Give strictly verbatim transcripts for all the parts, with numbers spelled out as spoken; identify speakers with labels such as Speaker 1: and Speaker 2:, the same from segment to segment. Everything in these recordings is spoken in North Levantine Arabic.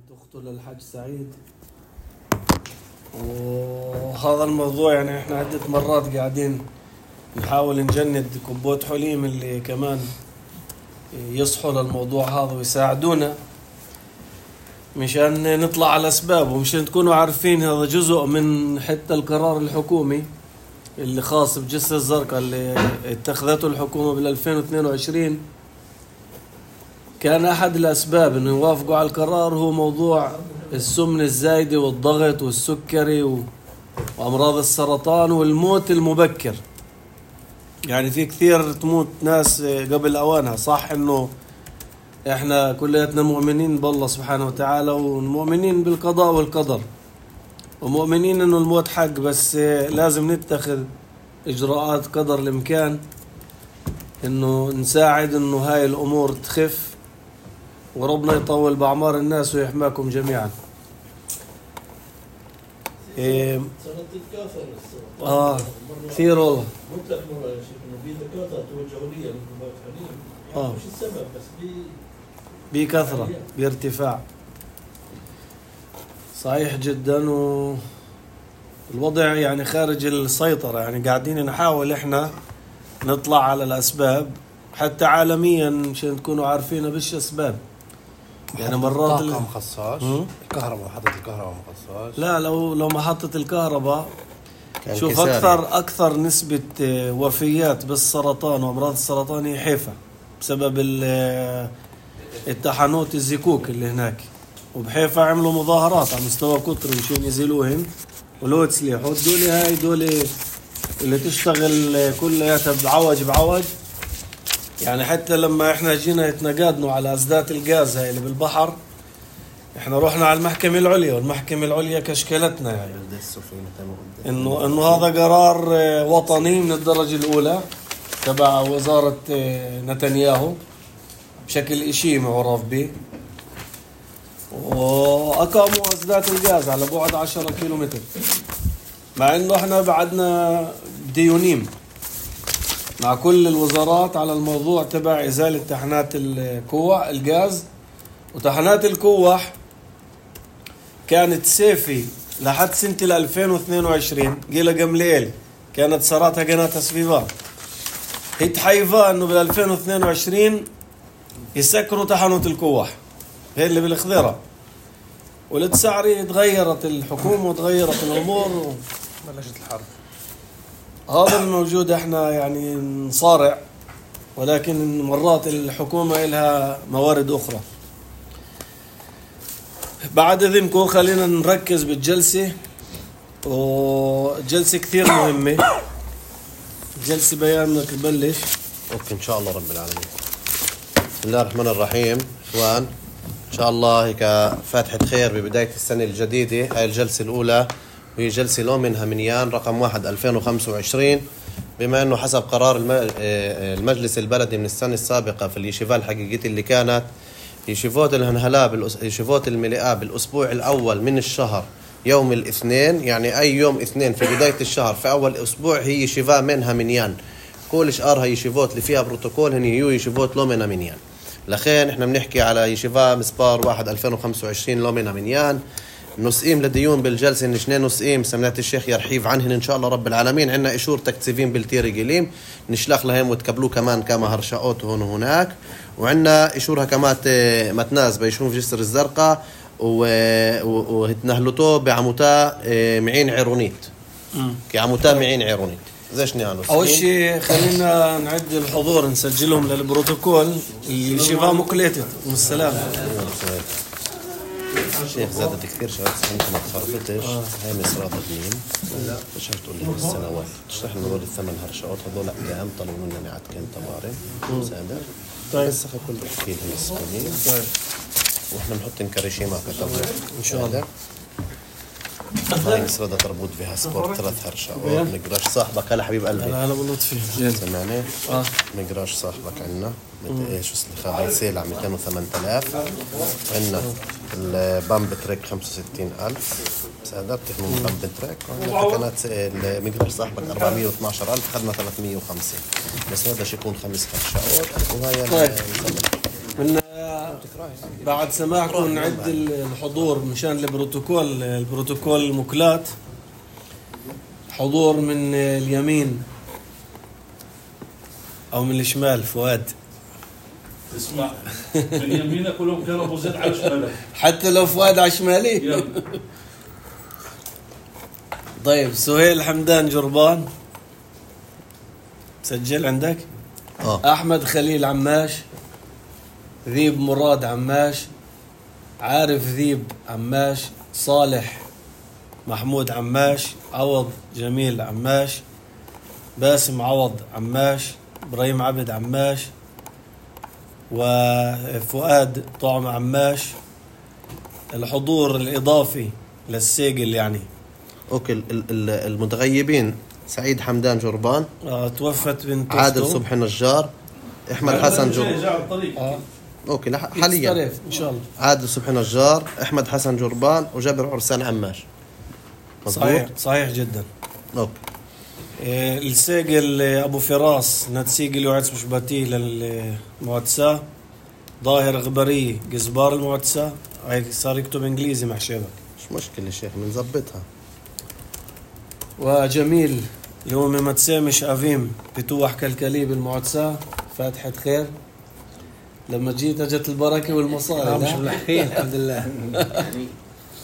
Speaker 1: تقتل الحاج سعيد. وهذا الموضوع يعني احنا عدة مرات قاعدين نحاول نجند كبوت حليم اللي كمان يصحوا للموضوع هذا ويساعدونا مشان نطلع على أسبابه ومشان تكونوا عارفين هذا جزء من حتى القرار الحكومي اللي خاص بجسر الزرقاء اللي اتخذته الحكومة بال ألفين واثنين وعشرين. كان أحد الأسباب إنه يوافقوا على القرار هو موضوع السمنة الزايدة والضغط والسكري وأمراض السرطان والموت المبكر. يعني في كثير تموت ناس قبل أوانها. صح إنه إحنا كلياتنا مؤمنين بالله سبحانه وتعالى ومؤمنين بالقضاء والقدر ومؤمنين إنه الموت حق، بس لازم نتخذ إجراءات قدر الإمكان إنه نساعد إنه هاي الأمور تخف وربنا يطول بأعمار الناس ويحماكم جميعا. إيه آه كثير والله.
Speaker 2: مطلق مرة يا شيخ إنه في دكاترة توجهوا لي من كبار حليم.
Speaker 1: آه
Speaker 2: مش السبب بس بي
Speaker 1: بكثرة بارتفاع. صحيح جدا. والوضع يعني خارج السيطرة. يعني قاعدين نحاول إحنا نطلع على الأسباب حتى عالميا مشان تكونوا عارفين بش أسباب. يعني مرات
Speaker 3: الطاقة مخصص الكهرباء محطة الكهرباء مخصص.
Speaker 1: لا لو لو محطة الكهرباء شوف أكثر أكثر نسبة وفيات بالسرطان وأمراض السرطان هي حيفا بسبب التحنوت الزكوك اللي هناك. وبحيفا عملوا مظاهرات على مستوى قطري مشان يزيلوهن ولو تسليحوا دولي هاي دولي اللي تشتغل كلها بعوج بعوج. يعني حتى لما احنا جينا يتنقادنوا على أسدات الغاز هاي اللي بالبحر احنا رحنا على المحكمة العليا والمحكمة العليا كشكلتنا يعني انه انه هذا قرار وطني من الدرجة الأولى تبع وزارة نتنياهو بشكل إشي معرف به. وأقاموا أسدات الغاز على بعد عشرة كيلومتر مع انه احنا بعدنا ديونيم مع كل الوزارات على الموضوع تبع إزالة تحنات الكوح الغاز. وتحنات الكوح كانت سيفي لحد سنة ألفين واثنين وعشرين قيلة قمليل كانت صارتها قناة سفيفا. هي تحيفا انه بال ألفين واثنين وعشرين يسكروا تحنوت الكوح هي اللي بالخضيرة. ولتسعري تغيرت الحكومة وتغيرت الأمور
Speaker 3: بلشت الحرب.
Speaker 1: هذا الموجود احنا يعني نصارع ولكن مرات الحكومة إلها موارد أخرى. بعد إذنكم خلينا نركز بالجلسة. والجلسة كثير مهمة. الجلسة بيانك تبلش.
Speaker 3: أوكي إن شاء الله رب العالمين. بسم الله الرحمن الرحيم. إخوان إن شاء الله هيك فاتحة خير ببداية السنة الجديدة. هاي الجلسة الأولى وهي جلسة لو منها منيان رقم واحد ألفين وخمسة وعشرين بما أنه حسب قرار المجلس البلدي من السنة السابقة في اليشيفات الحقيقية اللي كانت يشيفوت الهنهلاء يشيفوت الملئة بالأسبوع الأول من الشهر يوم الاثنين. يعني أي يوم اثنين في بداية الشهر في أول أسبوع هي يشيفا منها منيان. كل شهر هي يشيفوت اللي فيها بروتوكول هن هيو يشيفوت لو منها منيان. لخين احنا بنحكي على يشيفا مسبار واحد ألفين وخمسة وعشرين لو منها منيان. نسئيم لديون بالجلسة إن اثنين نسئيم سمعت الشيخ يرحيف عنهن إن شاء الله رب العالمين. عنا إشور تكتسيفين بالتيري قليم نشلخ لهم وتقبلوه كمان كما هرشاؤوت هون وهناك. وعنا إشورها كمان متناز بيشون في جسر الزرقاء وهتنهلتو بعموتا معين عيرونيت كعموتا معين عيرونيت زيش نيانوس.
Speaker 1: أول شيء خلينا نعد الحضور نسجلهم للبروتوكول اللي شفاه مقليتت والسلام.
Speaker 3: شيخ زادت كثير شغلات انت ما تخربتش. هاي مصرات الدين لا مش هتقول لي السنوات تشرح لنا دول الثمان هرشات هذول ايام طلبوا مننا نعد كان طوارئ سامر. طيب بس كل احكي لهم السكونين. طيب واحنا بنحط نكرشي معك كتبنا ان شاء الله. هاي مصرات تربط بها سبورت ثلاث هرشات. مقراش صاحبك هلا حبيب قلبي
Speaker 1: انا بلطفي
Speaker 3: سمعني. اه مقراش صاحبك عنا ايش اسمه هاي سيل على مئتين وثمانية آلاف. عندنا البامب تريك خمسة وستين ألف سادات تحمل بامب تريك. وعندنا كانت المقدار صاحبك أربعمية واثناشر ألف خدنا ثلاثمية وخمسين بس هذا شيء يكون خمس هرشات. وهاي
Speaker 1: طيب من بعد سماحكم نعد الحضور مشان البروتوكول البروتوكول المكلات. حضور من اليمين او من الشمال. فؤاد
Speaker 2: اسمع، من يمينك كلهم كانوا زيد على شمالك،
Speaker 1: حتى لو فؤاد على شمالي. طيب سهيل حمدان جربان سجل عندك.
Speaker 3: اه
Speaker 1: احمد خليل عماش، ذيب مراد عماش، عارف ذيب عماش، صالح محمود عماش، عوض جميل عماش، باسم عوض عماش، ابراهيم عبد عماش، وفؤاد طعم عماش. الحضور الإضافي للسيجل يعني
Speaker 3: اوكي. ال- ال- المتغيبين: سعيد حمدان جربان،
Speaker 1: آه توفت بنت
Speaker 3: عادل
Speaker 1: أخته.
Speaker 3: صبحي نجار، احمد حسن جربان.
Speaker 2: جاء على الطريق.
Speaker 1: آه.
Speaker 3: اوكي لح- حاليا
Speaker 1: يتصرف ان شاء الله.
Speaker 3: عادل صبحي نجار، احمد حسن جربان، وجابر عرسان عماش. مظبوط؟
Speaker 1: صحيح صحيح جدا.
Speaker 3: اوكي.
Speaker 1: إيه، الساقل ابو فراس نتسيقل يوعدس مشباتيه للمعتسة. ظاهر غبري جزبار المعتسة. هاي صار يكتب انجليزي مع شبك.
Speaker 3: مش مشكلة شيخ بنظبطها.
Speaker 1: وجميل اللي هو ما تسامش افيم بتوح كالكلي بالمعتسة. فاتحة خير. لما جيت اجت البركة والمصاري.
Speaker 4: مش ملحقين الحمد لله.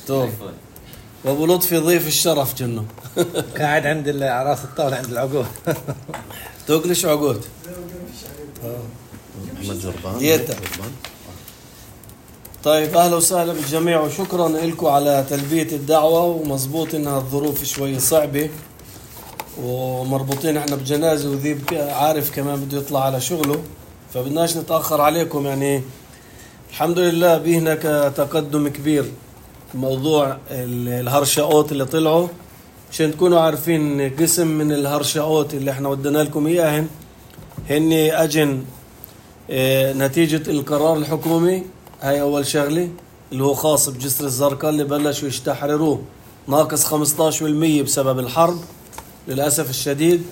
Speaker 1: طيب. وابو لطفي ضيف الشرف جنه.
Speaker 4: قاعد عند راس الطاولة عند العقود.
Speaker 1: توكلش عقود.
Speaker 3: احمد جربان.
Speaker 1: ديتا.
Speaker 3: جربان.
Speaker 1: طيب اهلا وسهلا بالجميع وشكرا لكم على تلبية الدعوة. ومزبوط انها الظروف شوي صعبة ومربوطين احنا بجنازة وذيب عارف كمان بده يطلع على شغله فبدناش نتأخر عليكم. يعني الحمد لله بهناك تقدم كبير موضوع الهرشاوت اللي طلعوا. عشان تكونوا عارفين قسم من الهرشاوت اللي احنا ودنا لكم اياهن هن اجن اه نتيجة القرار الحكومي. هاي اول شغلة اللي هو خاص بجسر الزرقاء اللي بلشوا يشتحرروه ناقص خمسة عشر بالمية بسبب الحرب للأسف الشديد.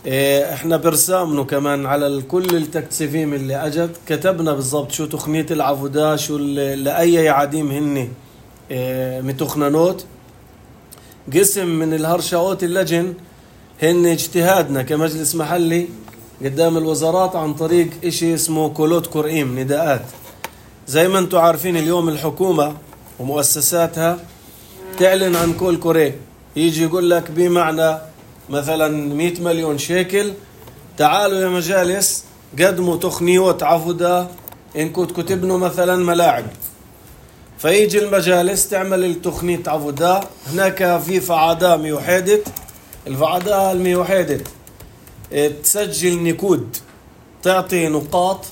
Speaker 1: اه احنا برسامنه كمان على كل التكتسفيم اللي اجت كتبنا بالضبط شو تخنية العبودة شو لأي يعاديم هن اه متخننوت. قسم من الهرشاوت اللجن هن اجتهادنا كمجلس محلي قدام الوزارات عن طريق اشي اسمه كولوت كرئيم نداءات. زي ما انتم عارفين اليوم الحكومة ومؤسساتها تعلن عن كل كوري يجي يقول لك بمعنى مثلا مئة مليون شيكل تعالوا يا مجالس قدموا تخنيوت عفودة إن كنت كتبنوا مثلا ملاعب. فيجي المجالس تعمل التخنية عفودة. هناك في فعادة ميوحيدة. الفعادة الميوحيدة تسجل نكود تعطي نقاط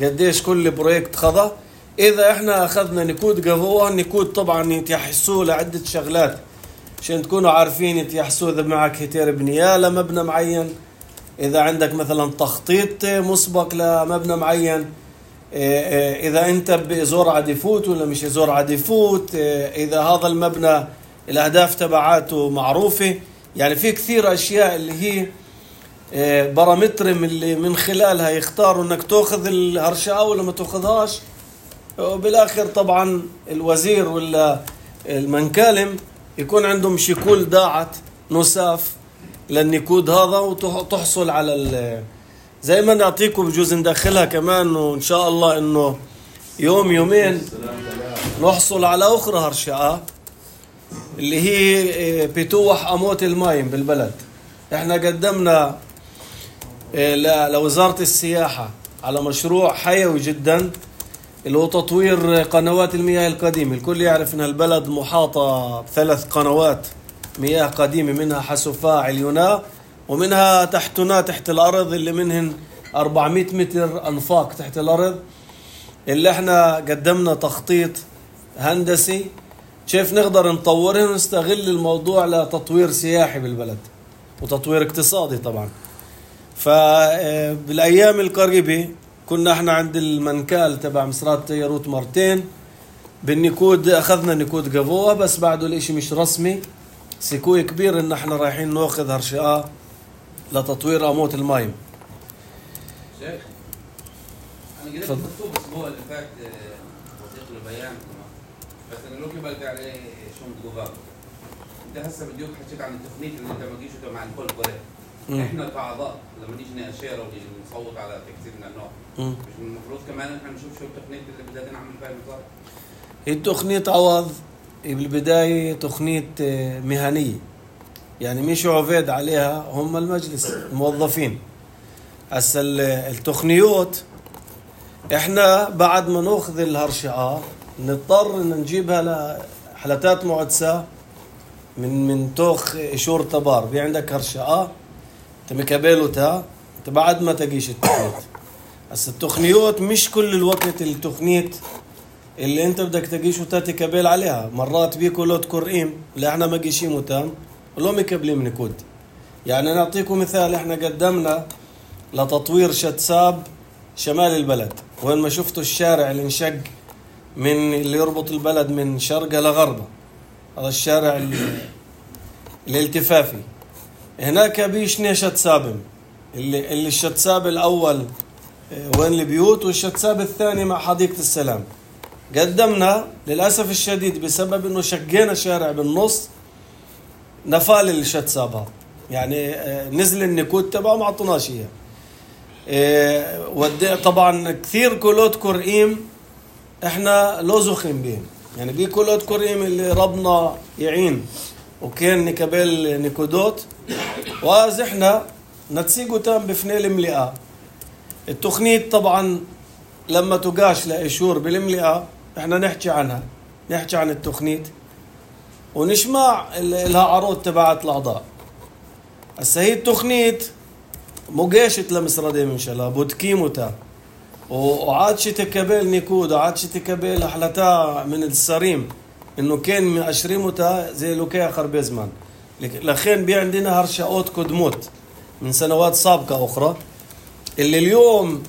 Speaker 1: قديش كل برويكت خذا. إذا إحنا أخذنا نكود قفوة النكود طبعا يتيحسوا لعدة شغلات عشان تكونوا عارفين يتيحسوا إذا معك هتير بنية لمبنى معين، إذا عندك مثلا تخطيط مسبق لمبنى معين، إذا أنت بزور عديفوت ولا مش زور عديفوت، إذا هذا المبنى الأهداف تبعاته معروفة. يعني في كثير أشياء اللي هي بارامتر من اللي من خلالها يختاروا انك تاخذ الهرشاء ولا ما تاخذهاش. وبالاخر طبعا الوزير ولا المنكالم يكون عندهم شكول داعت نساف للنكود هذا وتحصل على زي ما نعطيكم بجوز ندخلها كمان وان شاء الله انه يوم يومين نحصل على اخرى هرشاء اللي هي بتوح اموت المايم بالبلد. احنا قدمنا لوزارة السياحة على مشروع حيوي جدا اللي هو تطوير قنوات المياه القديمة. الكل يعرف ان البلد محاطة بثلاث قنوات مياه قديمة منها حسوفاء عليونا ومنها تحتنا تحت الأرض اللي منهن أربعمئة متر أنفاق تحت الأرض اللي احنا قدمنا تخطيط هندسي كيف نقدر نطورها ونستغل الموضوع لتطوير سياحي بالبلد وتطوير اقتصادي طبعا. فبالأيام القريبة كنا احنا عند المنكال تبع مصرات تيروت مرتين بالنكود أخذنا نكود قبوة بس بعده الاشي مش رسمي. سيكوي كبير ان احنا رايحين ناخذ هرشاء لتطوير أموت المايم.
Speaker 5: شيخ أنا
Speaker 1: تفضل.
Speaker 5: مكتوب الاسبوع اللي فات وثيقة البيان بس انا لو كبلت عليه شو متقوبات. انت هسه بديوك حكيت عن التقنية اللي انت ما جيش مع الكل كوري. احنا كاعضاء لما نيجي ناشير ونيجي نصوت على تكسير من النوع مش المفروض كمان احنا نشوف شو التقنية اللي بدنا نعمل فيها المطار.
Speaker 1: هي التقنية عوض بالبداية تقنية مهنية، يعني مش عبيد عليها هم المجلس الموظفين. هسا التقنيات احنا بعد ما ناخذ الهرشعة نضطر ان نجيبها لحلتات معدسة من من توخ شور تبار. في عندك هرشعة تمكابيلو تا انت بعد ما تجيش التقنية. هسا التقنيات مش كل الوقت التقنية اللي انت بدك تجيش وتاتي كابيل عليها. مرات بيكو لوت كورئيم اللي احنا ما جيشين وتام ولو مكبلين من كود. يعني نعطيكم مثال، احنا قدمنا لتطوير شتساب شمال البلد، وين ما شفتوا الشارع اللي انشق من اللي يربط البلد من شرقه لغربه، هذا الشارع الالتفافي هناك بيشني شتسابم اللي, اللي الشتساب الاول وين البيوت والشتساب الثاني مع حديقة السلام. قدمنا للأسف الشديد بسبب انه شقينا شارع بالنص نفال الشتساب هذا، يعني نزل النكود تبعه ما عطوناش اياه. ودي طبعا كثير كولوت كورئيم احنا لوزخين بهم، يعني بي كولوت كورئيم اللي ربنا يعين وكان نكبل نكودوت واز احنا نتسيقو تام بفني الملئة. التقنية طبعا لما تقاش لإشور بالملئة احنا نحكي عنها، نحكي عن التقنية ونشمع لها عروض تبعت الأعضاء. هسه هي التقنية مقاشت لمسردين من شلا بودكيموتا وعادش تكبل نيكود وعادش تكبل أحلتا من السريم انه كان من أشريموتا زي لوكيا خربيزمان. لخين بي عندنا هرشاوت كدموت من سنوات سابقة أخرى اللي اليوم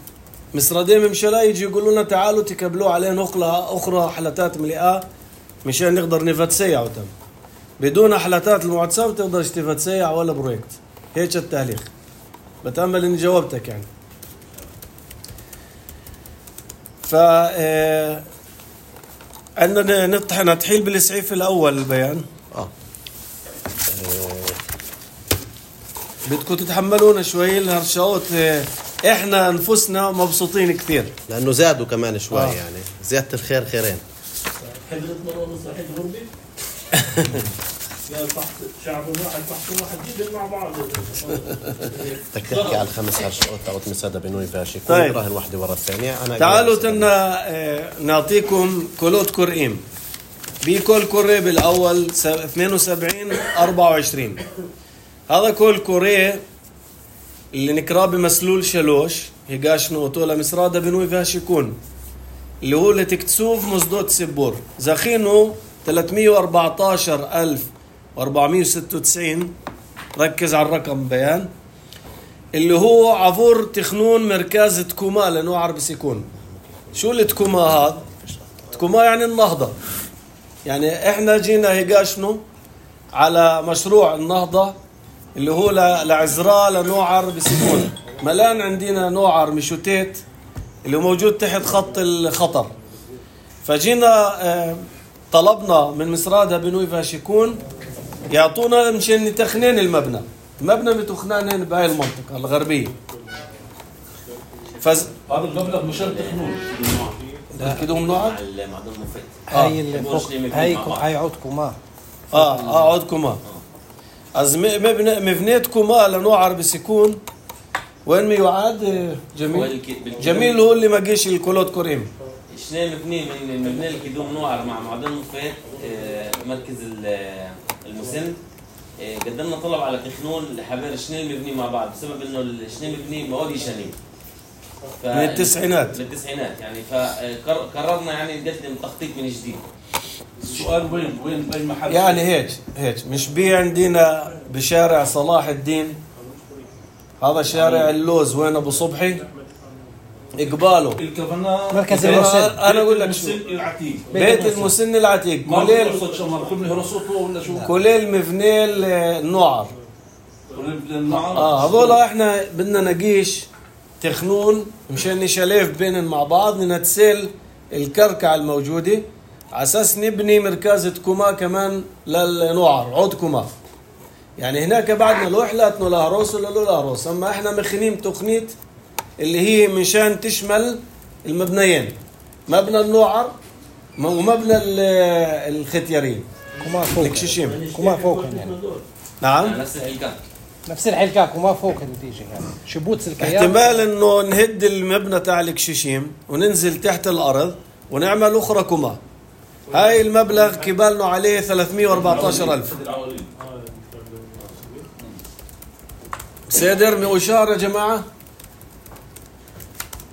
Speaker 1: مسردين من شلا يجي يقولوا لنا تعالوا تكبلوا عليه نقلة أخرى حلتات ملئة مشان نقدر نفتسيع وتم. بدون حلتات المعدسة ما تقدرش تفتسيع ولا برويكت. هيك التهليخ. بتأمل إني جاوبتك يعني. ف عندنا نطحن نتحيل بالإسعاف الأول البيان.
Speaker 3: اه
Speaker 1: بدكم تتحملونا شوي الهرشاوت، احنا انفسنا مبسوطين كثير
Speaker 3: لانه زادوا كمان شوي.
Speaker 1: آه.
Speaker 3: يعني زيادة الخير خيرين.
Speaker 2: حضرت مرة مسرحية غربي يا فحص شعب واحد فحص واحد جدا مع بعض.
Speaker 3: بدك تحكي على الخمس هرشاوت تاعت مسادة بنوي فاشي كل
Speaker 1: طيب.
Speaker 3: راهن واحدة ورا الثانية. أنا
Speaker 1: تعالوا تنا اه نعطيكم كولوت كورئيم. بيكول كوري بالأول اثنين وسبعين أربعة وعشرين. هذا كول كوري اللي نكراه بمسلول شلوش هيقاش نوتولا مسرادة بنوي فاشيكون اللي هو اللي تكتسوف مصدوت سبور زخينه ثلاثمية وأربعة عشر ألف وأربعمية وستة وتسعين. ركز على الرقم بيان اللي هو عفور تخنون مركز تكوما لأنه عربي سيكون. شو اللي تكوما هذا؟ تكوما يعني النهضة. يعني احنا جينا هيقاشنو على مشروع النهضة اللي هو لعزراء لنوعر بسكون. ملان عندنا نوعر مشوتيت اللي هو موجود تحت خط الخطر. فجينا اه طلبنا من مسرادة بنوي فاشيكون يعطونا مشان نتخنين المبنى. المبنى متخنانين بهاي المنطقة الغربية. فز
Speaker 2: هذا المبلغ مشان تخنون
Speaker 1: كده هم نوعر
Speaker 5: المعدن مفيد.
Speaker 4: هاي اللي فوق هاي هاي عود كوما.
Speaker 1: اه اه عود كوما. از مبنى مبنيت كوما لنوعر بسكون وين ما يعاد جميل. جميل هو اللي ما جيش الكولوت كوريم.
Speaker 5: شنو مبني من المبنى الكدوم نوعر مع معدن مفيد مركز المسن. قدمنا طلب على تخنون لحبار شنو مبني مع بعض بسبب انه الشنو مبني مواد شنين
Speaker 1: من التسعينات
Speaker 5: من التسعينات يعني فقررنا يعني نقدم تخطيط من جديد.
Speaker 2: السؤال وين وين باي محل
Speaker 1: يعني هيك هيك مش بي عندنا بشارع صلاح الدين هذا شارع اللوز وين ابو صبحي اقباله
Speaker 2: الكفنا
Speaker 4: مركز
Speaker 1: المسن. انا اقول لك
Speaker 2: شو العتيق
Speaker 1: بيت المسن العتيق كليل كليل مبني النوعر. اه هذول احنا بدنا نقيش تخنون مشان نشلف بينن مع بعض ننتسل الكركع الموجودة على أساس نبني مركزة كوما كمان للنوعر عود كوما. يعني هناك بعدنا لوح لاتنو لاهروس ولا لو لاهروس، أما إحنا مخنين تقنية اللي هي مشان تشمل المبنيين، مبنى النوعر ومبنى الختيارين
Speaker 4: كوما فوق
Speaker 1: الكشيشيم.
Speaker 4: كوما فوق يعني.
Speaker 1: نعم
Speaker 5: نفس الحلقات
Speaker 4: نفس الحلقة كوما فوق النتيجة يعني شبوت سلكيات.
Speaker 1: احتمال انه نهد المبنى تاع الكشيشيم وننزل تحت الارض ونعمل اخرى كوما. هاي المبلغ كبالنا عليه ثلاثمية وأربعة عشر ألف. سيدر مؤشار يا جماعة.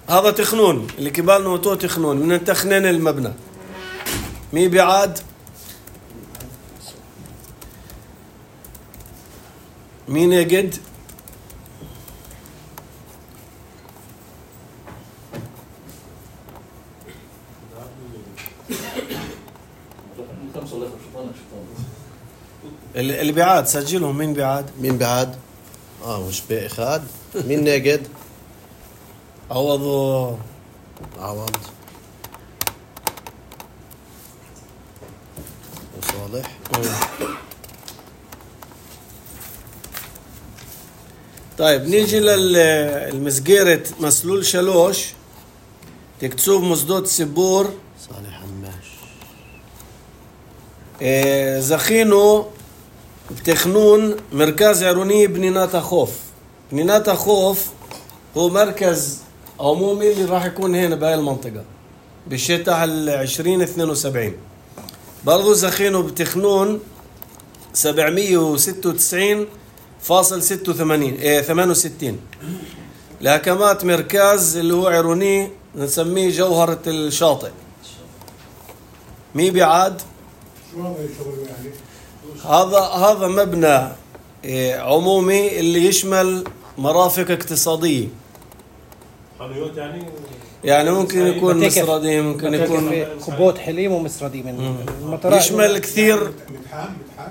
Speaker 1: هذا تخنون اللي كبالنا وتو تخنون من تخنين المبنى. مي بعاد مين يجد اللي بيعاد سجلهم. مين بيعاد؟
Speaker 3: مين بعد؟ اه مش باقي خاد. مين ناقد؟
Speaker 1: عوضوا
Speaker 3: عوض وصالح.
Speaker 1: طيب نيجي للمسجيرة مسلول شلوش تكتسوب مصدود سبور.
Speaker 3: صالح هماش.
Speaker 1: إيه زخينو بتخنون مركز عروني بنيناتا خوف. بنيناتا خوف هو مركز عمومي اللي راح يكون هنا بهاي المنطقة بالشتاء العشرين اثنين وسبعين. برضو زخينو بتخنون سبعمية وستة وتسعين فاصل ستة وثمانين ايه ثمانية وستين. لهكمات مركز اللي هو عروني نسميه جوهرة الشاطئ. مي بعاد هذا هذا مبنى إيه عمومي اللي يشمل مرافق اقتصادية.
Speaker 2: حلويات يعني
Speaker 1: يعني ممكن يكون مسردي ممكن يكون
Speaker 4: كوبوت حليم ومسردي من المطرات.
Speaker 1: يشمل كثير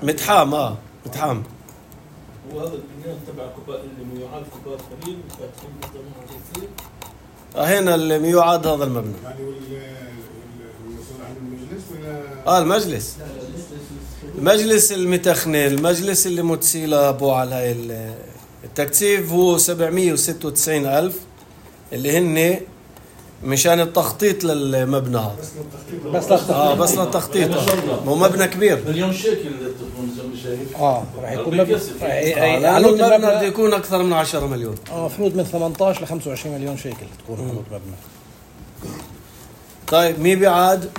Speaker 1: متحام اه متحام.
Speaker 2: وهذا البنيان تبع كوباء اللي يعاد كوباء قليل فاتحين مجتمع
Speaker 1: هنا اللي يعاد هذا المبنى.
Speaker 6: يعني والمسؤول عن المجلس ولا
Speaker 1: اه المجلس المجلس المتخني المجلس اللي متسيلة ابو على هاي التكتيف هو سبعمية وستة وتسعين ألف اللي هن مشان التخطيط للمبنى هذا.
Speaker 4: بس للتخطيط.
Speaker 1: اه بس للتخطيط. مو مبنى كبير.
Speaker 2: مليون شيكل تكون زي ما شايف.
Speaker 4: اه راح يكون مبلغ
Speaker 1: آه لأنه المبنى بده يكون أكثر من عشرة مليون.
Speaker 4: المفروض من ثمانية عشر ل خمسة وعشرين مليون شيكل تكون حدود مبنى.
Speaker 1: طيب مين بيعاد؟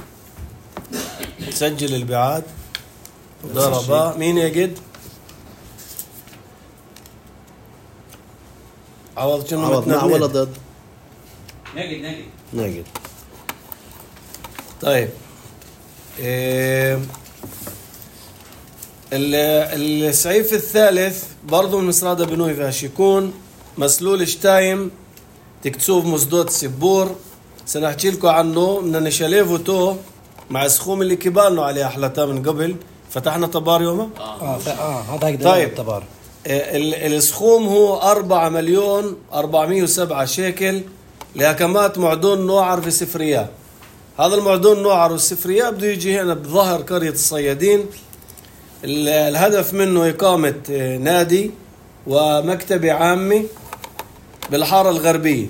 Speaker 1: سجل البيعاد. ضربة. مين يجد؟ عوض شنو
Speaker 3: عوض مع ولا ضد؟
Speaker 5: ناقد ناقد
Speaker 3: ناقد.
Speaker 1: طيب إيه السعيف الثالث برضو من مسرادة بنوي فاشيكون مسلول شتايم تكتسوب مصدود سبور. سنحكي لكم عنه من نشاليفو تو مع سخوم اللي كبالنا عليه أحلتا من قبل. فتحنا طبار يومه
Speaker 4: اه اه هذا هيك
Speaker 1: طيب
Speaker 4: الطبار.
Speaker 1: السخوم هو أربعة مليون أربعمية وسبعة شيكل لهكمات معدون نوعر في سفريات. هذا المعدون نوعر والسفريات بده يجي هنا بظهر قرية الصيادين. الهدف منه إقامة نادي ومكتبة عامة بالحارة الغربية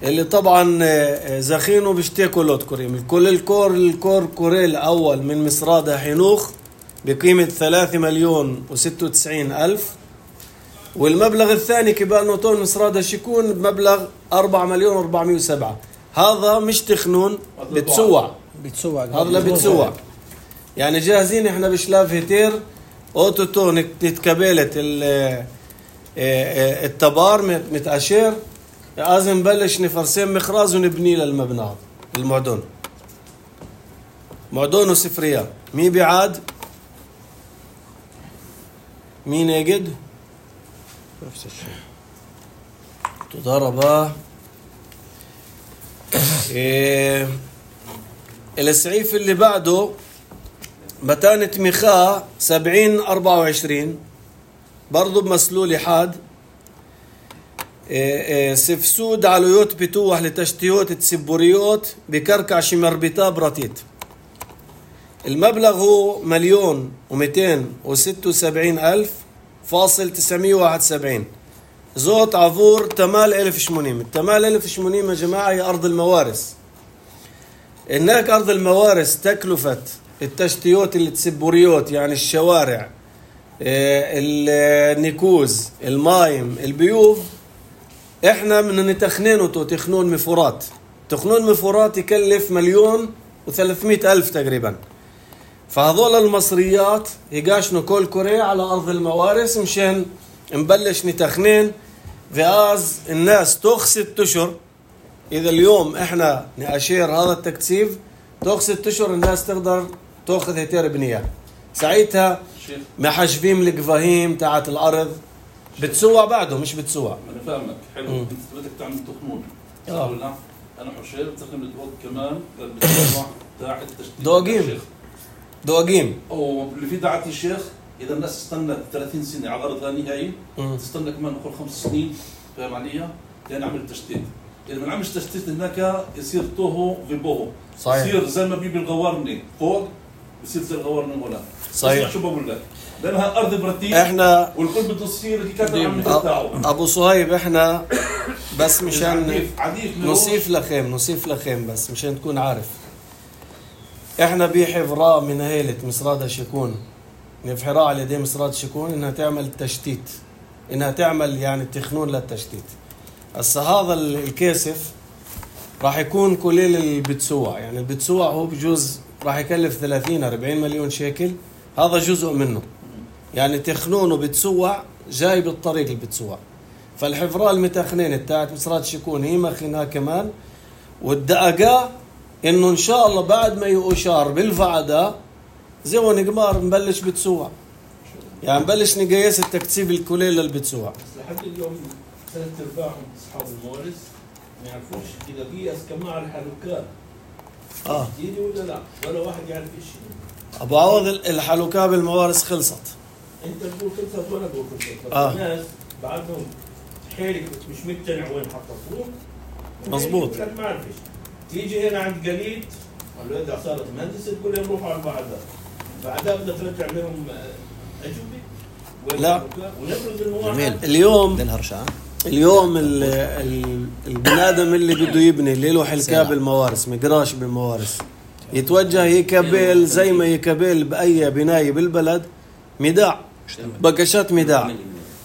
Speaker 1: اللي طبعا زخينه بيشتكوا لوت كريم. كل الكور الكور كوري الأول من مسرادة حنوخ بقيمة ثلاثة مليون وستة وتسعين ألف. والمبلغ الثاني كبال نوتون مسرادة شيكون بمبلغ أربعة مليون وأربعمية وسبعة. هذا مش تخنون بتسوع
Speaker 4: بتسوع
Speaker 1: هذا لا بتسوع. يعني جاهزين احنا بشلاف هتير اوتوتو نتكبلت التبار متأشير لازم نبلش نفرسين مخراز ونبني للمبنى هذا المعدون معدون وسفريات. مين بيعاد؟ مين يجد؟
Speaker 3: نفس الشيء.
Speaker 1: تضربه. إيه السعيف اللي بعده متانة مخاء سبعين أربعة وعشرين برضو بمسلول حاد. إيه إيه سفسود علويوت بتوح لتشتيوت تسبوريوت بكركع شمربطا براتيت. المبلغ هو مليون ومئتين وستة وسبعين ألف فاصل تسعمية واحد وسبعين. زوت عفور تمال ألف شمونيم. التمال ألف شمونيم يا جماعة هي أرض الموارث. هناك أرض الموارث تكلفة التشتيوت اللي تسبوريوت يعني الشوارع، النيكوز، المايم، البيوب، احنا من نتخنينه تخنون مفورات. تخنون مفورات يكلف مليون وثلاثمائة ألف تقريبا. فهذول المصريات يقاشنوا كل كوري على أرض الموارث مشان نبلش نتخنين فاز الناس توخ ست أشهر. إذا اليوم احنا نأشير هذا التكثيف توخ ست أشهر الناس تقدر تأخذ هيتير بنية. ساعتها محجبين القفاهيم تاعت الأرض بتسوى بعده مش بتسوى.
Speaker 2: انا فاهمك حلو. انت بدك تعمل تخنون
Speaker 1: اه
Speaker 2: ولا انا حشير بستخدم الدوق كمان بالتوقع تاع التشتيت
Speaker 1: دواقيم دواقيم
Speaker 2: واللي في دعاة الشيخ. اذا الناس استنت ثلاثين سنه على الارض ثاني هاي تستنى كمان نقول خمس سنين، فاهم علي؟ لين نعمل التشتيت. اذا ما نعملش تشتيت هناك يصير توهو في بوهو.
Speaker 1: صحيح.
Speaker 2: يصير زي ما بيبي الغوارني فوق بصير زي الغوارني هنا.
Speaker 1: صحيح.
Speaker 2: شو بقول لك؟ لانها ارض برتيب
Speaker 1: احنا
Speaker 2: والكل بده يصير اللي كان عم يفتحوا.
Speaker 1: ابو صهيب احنا بس مشان
Speaker 2: عديف عديف
Speaker 1: نصيف لخيم نصيف لخيم بس مشان تكون عارف. احنا بحفراء من هيلة مصراد الشكون نفحراء على يدي مصراد الشكون انها تعمل تشتيت، انها تعمل يعني تخنون للتشتيت. هسه هذا الكاسف راح يكون كليل البتسوع، يعني البتسوع هو بجوز راح يكلف ثلاثين أربعين مليون شيكل، هذا جزء منه. يعني تخنون وبتسوع جاي بالطريق البتسوع. فالحفراء المتخنين بتاعت مصرات شكون هي مخنها كمان. والدقاقة انه ان شاء الله بعد ما يؤشار بالفعدة زي ونقمار نبلش بتسوع، يعني نبلش نقيس التكثيف الكلي للبتسوع.
Speaker 2: بس لحد اليوم ثلاث ارباعهم اصحاب الموارث ما يعرفوش اذا قيس كمان على الحلوكات
Speaker 1: اه
Speaker 2: جديدة ولا لا، ولا واحد يعرف شيء.
Speaker 1: ابو عوض الحلوكة بالموارث خلصت.
Speaker 2: انت تقول خلصت وانا بقول خلصت.
Speaker 1: آه.
Speaker 2: الناس بعدهم حيرك مش مقتنع وين حطوه.
Speaker 1: مظبوط.
Speaker 2: ما عرفش. تيجي هنا عند قليد الولد صارت مهندسة تقول لهم روحوا على بعدها. بعدها بدها ترجع لهم أجوبة.
Speaker 1: لا.
Speaker 2: ونفرض انه
Speaker 3: جميل.
Speaker 2: واحد
Speaker 1: اليوم
Speaker 3: للهرشة
Speaker 1: اليوم ال- ال- البني ادم اللي بده يبني اللي له حلكة بالموارث مقراش بالموارث يتوجه يكبل زي ما يكبل بأي بناية بالبلد ميداع، بكشات ميداع.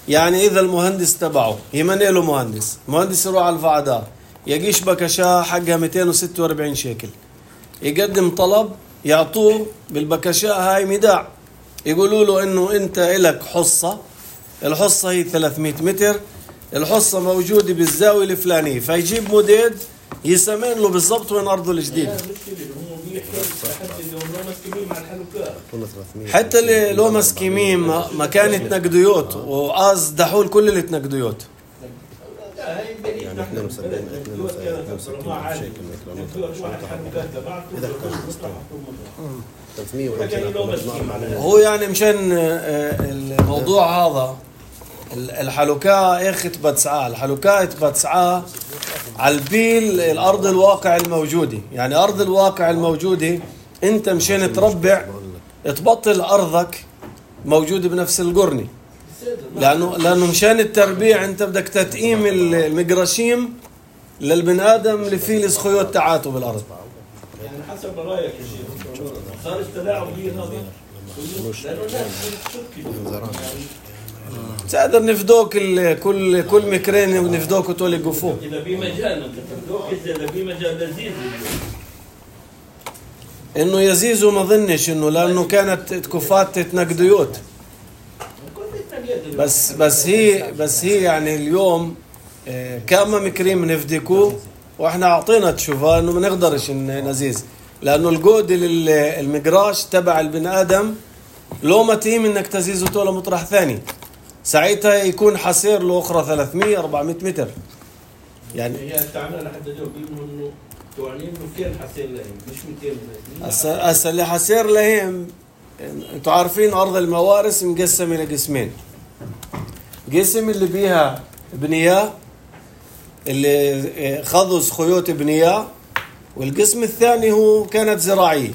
Speaker 1: يعني إذا المهندس تبعه يمني له مهندس مهندس يروح على الفعدة يقيش بكشة حقها مئتين وستة وأربعين شيكل، يقدم طلب يعطوه بالبكشة هاي ميداع، يقولوا له إنه أنت إلك حصة، الحصة هي ثلاثمائة متر، الحصة موجودة بالزاوية الفلانية، فيجيب مديد يسمين له بالضبط وين أرضه الجديد.
Speaker 2: هم بيحكوا لحد اللي هم مسكين مع الحلوكات.
Speaker 1: حتى اللي لو مسكيمين ما كانت نقديوت وقاز دحول كل اللي تنقديوت.
Speaker 2: لا هاي بنيت نحن
Speaker 3: اثنين وسبعين اثنين وسبعين شيكل ثلاثمية وخمسين.
Speaker 1: هو يعني مشان آه، الموضوع هذا الحلوكاء اخ تبتسعاه الحلوكاء تبتسعاه على البيل الارض الواقع الموجوده، يعني ارض الواقع الموجوده انت مشان تربع تبطل ارضك موجوده بنفس القرني، لانه لانه مشان التربيع انت بدك تتقيم المقرشيم للبن ادم اللي فيه الخيوط تاعاته بالارض.
Speaker 2: يعني حسب رايك يا شيخ صار التلاعب هي هذا لانه الناس بتشك
Speaker 1: تقدر نفدوك ال- كل كل مكرين ونفدوك وتولي قفوه.
Speaker 2: اذا في مجال انت تبدوك اذا في مجال لذيذ
Speaker 1: انه يزيزو ما ظنش انه لانه كانت كفات تنقديوت، بس بس هي بس هي يعني اليوم آه، كما مكريم نفديكوه واحنا اعطينا تشوفها انه ما نقدرش ن- نزيز، لانه الجود لل- المقراش تبع البني ادم لو ما تيم انك تزيزه طول مطرح ثاني، ساعتها يكون حصير له اخرى ثلاثمية أربعمية متر. يعني
Speaker 2: هي تعمل لحد اليوم بيقولوا انه توانين انه كان حسين لهم مش مئتين
Speaker 1: هسه هسه اللي حصير لهم انتوا عارفين ارض الموارث مقسمه لقسمين، قسم اللي بيها بنياه اللي خذوا خيوط بنية، والقسم الثاني هو كانت زراعية.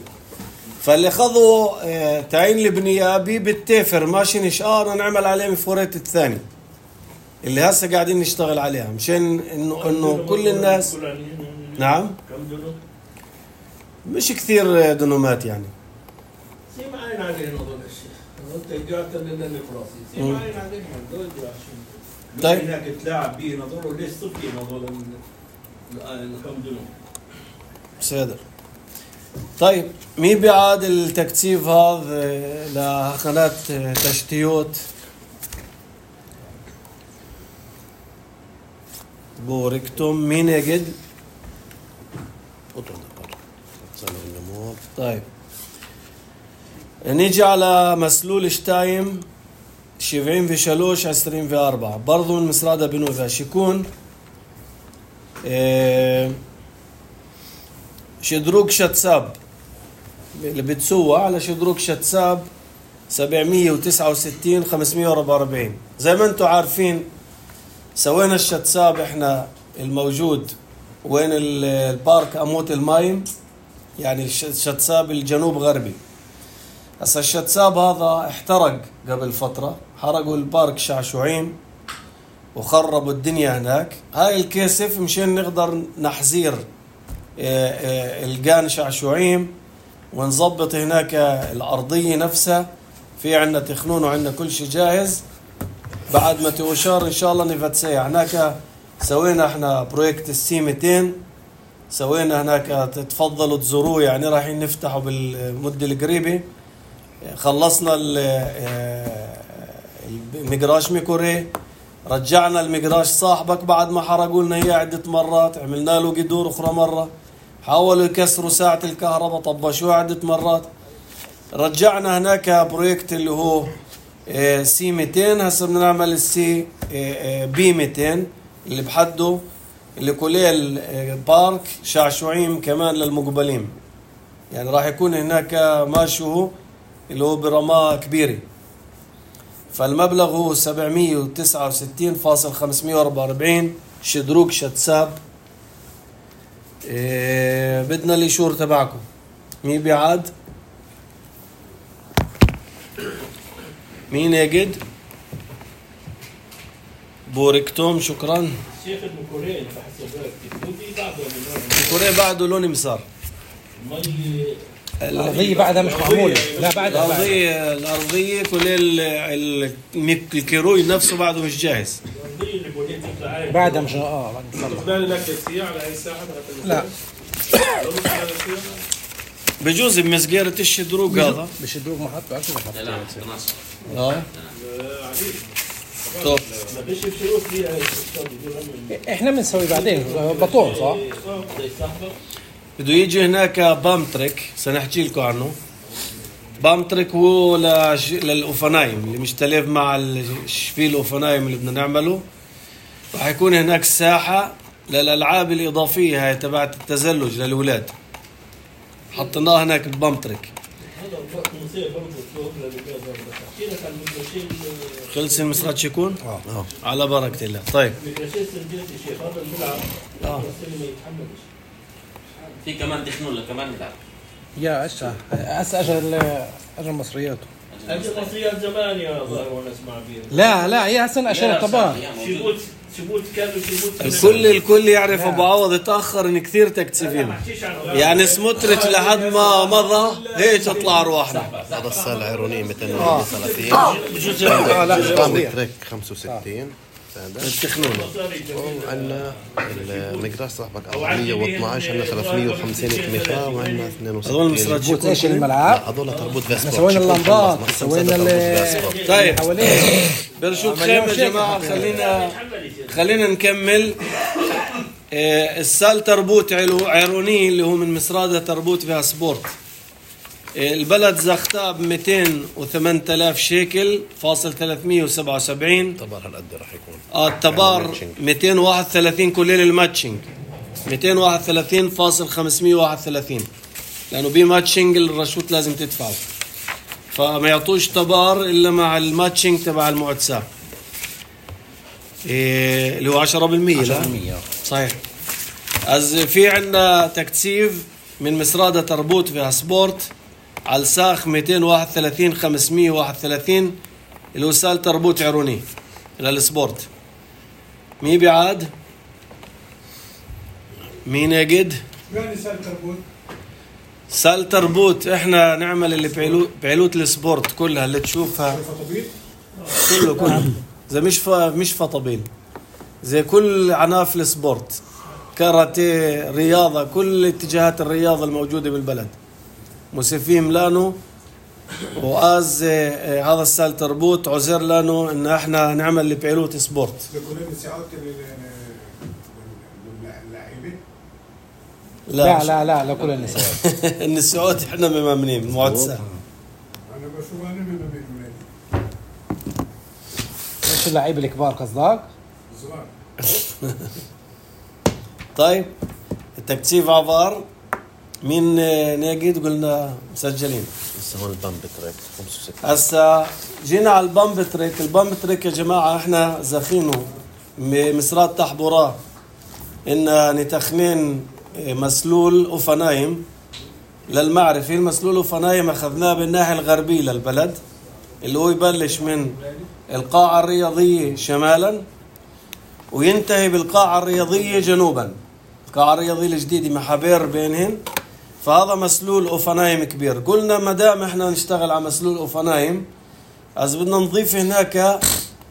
Speaker 1: فاللي خذوا تعيين البنية بي بالتافر ماشي نشقار نعمل عليه مفورات الثاني اللي هسه قاعدين نشتغل عليها مشان انه انه كل الناس. نعم مش كثير دنومات يعني.
Speaker 7: سي معين عليه هذول الشيء انت قاعد لنا الفراسي سي معين عليه هذول
Speaker 1: طيب
Speaker 7: هناك تلاعب به نظره ليش صفي هذول الكم دنوم
Speaker 1: صادر. طيب مين بيعاد التكثيف هذا لقناة تشتيوت بوركتم؟ مين يجد؟ طيب نيجي على مسلول شتايم سبعين في شلوش عشرين في أربعة برضو من مسرادة بنوفا شيكون اه شدروك شتساب اللي بتسوى على شدروك شتساب سبعمية وتسعة وستين خمسمية وأربعة وأربعين. زي ما انتم عارفين سوينا الشتساب احنا الموجود وين البارك أموت المايم، يعني الشتساب الجنوب غربي. هسا الشتساب هذا احترق قبل فترة، حرقوا البارك شعشوعين وخربوا الدنيا هناك. هاي الكيسف مشان نقدر نحزير الجان شعشوعيم ونظبط هناك الأرضية نفسها، في عنا تخنون وعنا كل شيء جاهز. بعد ما توشار إن شاء الله نفتسيح هناك. سوينا احنا بروجكت السي مئتين، سوينا هناك تفضلوا تزوروه، يعني رايحين نفتحه بالمدة القريبة. خلصنا المقراش ميكوري، رجعنا المقراش صاحبك بعد ما حرقوا لنا اياه عدة مرات، عملنا له قدور اخرى مرة، حاولوا يكسروا ساعة الكهرباء طبشوها عدة مرات. رجعنا هناك بروجكت اللي هو سي مئتين، هسه بدنا نعمل السي بي مئتين اللي بحده اللي كليل بارك شعشوعيم كمان للمقبلين، يعني راح يكون هناك ماشوه اللي هو برماء كبيرة. فالمبلغ هو سبعمية وتسعة وستين فاصل خمسمية وأربعة وأربعين شدروك شتساب. إيه بدنا الإشور تبعكم. مين بيعاد؟ مين يجد؟ بوركتوم شكرا.
Speaker 7: شيخ المكورين بحسب بعده
Speaker 1: المكورين بعده لون مسار.
Speaker 4: الأرضية بعدها مش معمولة. لا بعدها
Speaker 1: الأرضية الأرضية كل الكيروي نفسه بعده مش جاهز.
Speaker 4: بعدها مش اه بعد لا
Speaker 1: بجوز بمسجرة الشدروق هذا
Speaker 4: بالشدروق ما حطوا عشان ما
Speaker 5: لا
Speaker 1: اه طب
Speaker 4: احنا بنسوي بعدين بطون صح؟
Speaker 1: بده يجي هناك بامترك سنحكي لكم عنه. بامترك هو لج... للأوفنايم اللي مشتلف مع الشفيل الأوفنايم اللي بدنا نعمله. راح يكون هناك ساحة للألعاب الإضافية هاي تبعت التزلج للأولاد، حطيناها هناك ببامترك. خلص المسرات شيكون؟ اه على بركة الله. طيب اه
Speaker 5: في كمان دخنوا كمان نلعب
Speaker 4: يا أشا هسه أجل أجل مصرياته
Speaker 7: أجل مصريات زمان يا ظاهر وانا اسمع بيه.
Speaker 4: لا لا هي هسه أشياء الطبان
Speaker 7: شبوت شبوت كانوا شبوت
Speaker 1: الكل الكل يعرف ابو عوض اتاخر ان كثير تكتسفين، يعني سموتريتش لحد ما مضى هيك تطلع ارواحنا.
Speaker 3: هذا السنة العيرونية مئتين وثلاثين بامترك خمسة وستين
Speaker 1: التخنون.
Speaker 3: وعندنا المقراش صاحبك أربعمية واثناشر، عندنا ثلاثمية وخمسين تميخا، وعندنا اثنين وستين.
Speaker 1: هذول مسرات
Speaker 4: بوت ايش الملعب؟
Speaker 3: هذول تربوت فيسبورت.
Speaker 4: سوينا اللمبات سوينا ال
Speaker 1: طيب
Speaker 4: حواليه
Speaker 1: برشوت خيم يا جماعة. خلينا خلينا نكمل. آه السال تربوت عيروني اللي هو من مسرادة تربوت فيها سبورت. آه البلد زختاب مئتين وثمانية آلاف شيكل فاصل ثلاثمية وسبعة وسبعين.
Speaker 3: التبار هالقد راح يكون.
Speaker 1: اه التبار مئتين وواحد وثلاثين كليل الماتشنج مئتين وواحد وثلاثين فاصل خمسمية وواحد وثلاثين، لأنه بي ماتشنج الرشوت لازم تدفعه، فما يعطوش تبار إلا مع الماتشنج تبع المعتساب. إيه اللي هو عشرة بالمية. لا صحيح. از في عندنا تكثيف من مصرادة تربوت فيها سبورت على الساخ مئتين وواحد وثلاثين خمسمية وواحد وثلاثين الوسال تربوت عروني للسبورت. مي بعاد مين يجد
Speaker 6: يعني سال تربوت
Speaker 1: سال تربوت. احنا نعمل اللي بعلو بعلوت السبورت كلها اللي تشوفها
Speaker 6: فطبيب
Speaker 1: كله كله زي مش ف... مش فطبيل زي كل عناف السبورت، كاراتيه، رياضة، كل اتجاهات الرياضة الموجودة بالبلد مسفين لانو. وآز اه هذا السال تربوت عذر لانو ان احنا نعمل اللي بعلوت سبورت.
Speaker 6: لكل الساعات اللاعبين
Speaker 4: لا لا لا لكل النساء.
Speaker 1: النسوات احنا ممامنين المعتسة.
Speaker 6: انا بشوف انا من بين ولادي
Speaker 4: ايش اللعيبه الكبار قصدك؟
Speaker 6: الصغار.
Speaker 1: طيب التكثيف عبار مين ناجد قلنا مسجلين.
Speaker 3: هسه هون البامب تريك خمسة وستين.
Speaker 1: هسا جينا على البامب تريك. البامب تريك يا جماعة احنا زاخينه مصرات تحبوراه ان نتخنين مسلول أوفنايم للمعرفة. المسلول أوفنايم أخذناه بالناحية الغربية للبلد اللي هو يبلش من القاعة الرياضية شمالا وينتهي بالقاعة الرياضية جنوبا. القاعة الرياضية الجديدة محابير بينهن، فهذا مسلول أوفنايم كبير. قلنا مدام احنا نشتغل على مسلول أوفنايم از بدنا نضيف هناك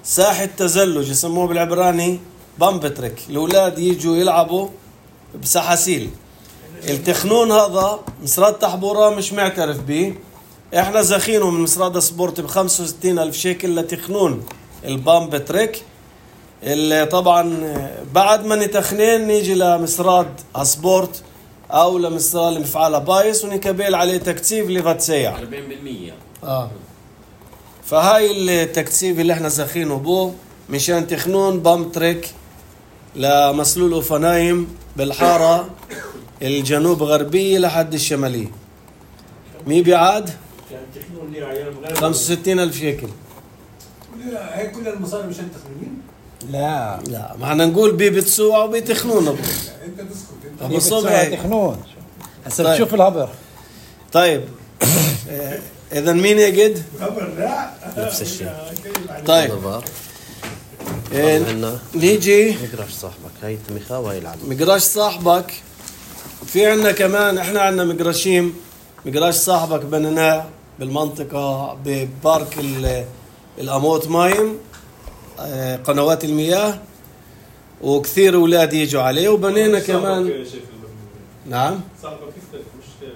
Speaker 1: ساحة تزلج يسموه بالعبراني بامبتريك، الأولاد يجوا يلعبوا بسحاسيل. التخنون هذا مصراد تحبورة مش معترف به، احنا زاخينه من مصراد سبورت بخمسة وستين ألف شيكل لتخنون البامب تريك. اللي طبعا بعد ما نتخنين نيجي لمصراد سبورت او لمصراد المفعال بايس ونكبل عليه تكثيف لفتسيع
Speaker 7: أربعين بالمية.
Speaker 1: اه فهاي التكثيف اللي احنا زاخينه بو مشان تخنون بامب تريك لمسلول أوفنايم بالحارة الجنوب غربية لحد الشمالية. مي بعاد
Speaker 7: كان تخنون لي عيال غير
Speaker 1: خمسة وستين ألف شيكل.
Speaker 6: لا هي كل المصاري مشان تخمين.
Speaker 4: لا
Speaker 1: لا ما احنا نقول بي بتسوع وبيتخنون ابو
Speaker 6: انت تسكت انت
Speaker 1: ابو صبح.
Speaker 4: تخنون هسه
Speaker 1: طيب.
Speaker 4: بتشوف الهبر.
Speaker 1: طيب اذا مين يجد
Speaker 6: خبر لا
Speaker 3: نفس الشيء.
Speaker 1: طيب
Speaker 3: نظر
Speaker 1: إيه
Speaker 3: عندنا
Speaker 1: نيجي
Speaker 3: مقراش صاحبك هاي التميخة وهي العدد.
Speaker 1: مقراش صاحبك. في عنا كمان احنا عنا مقراشيم. مقراش صاحبك بنيناه بالمنطقة ببارك الأموت مايم قنوات المياه وكثير أولاد يجوا عليه وبنينا كمان. نعم
Speaker 8: صاحبك يختلف مش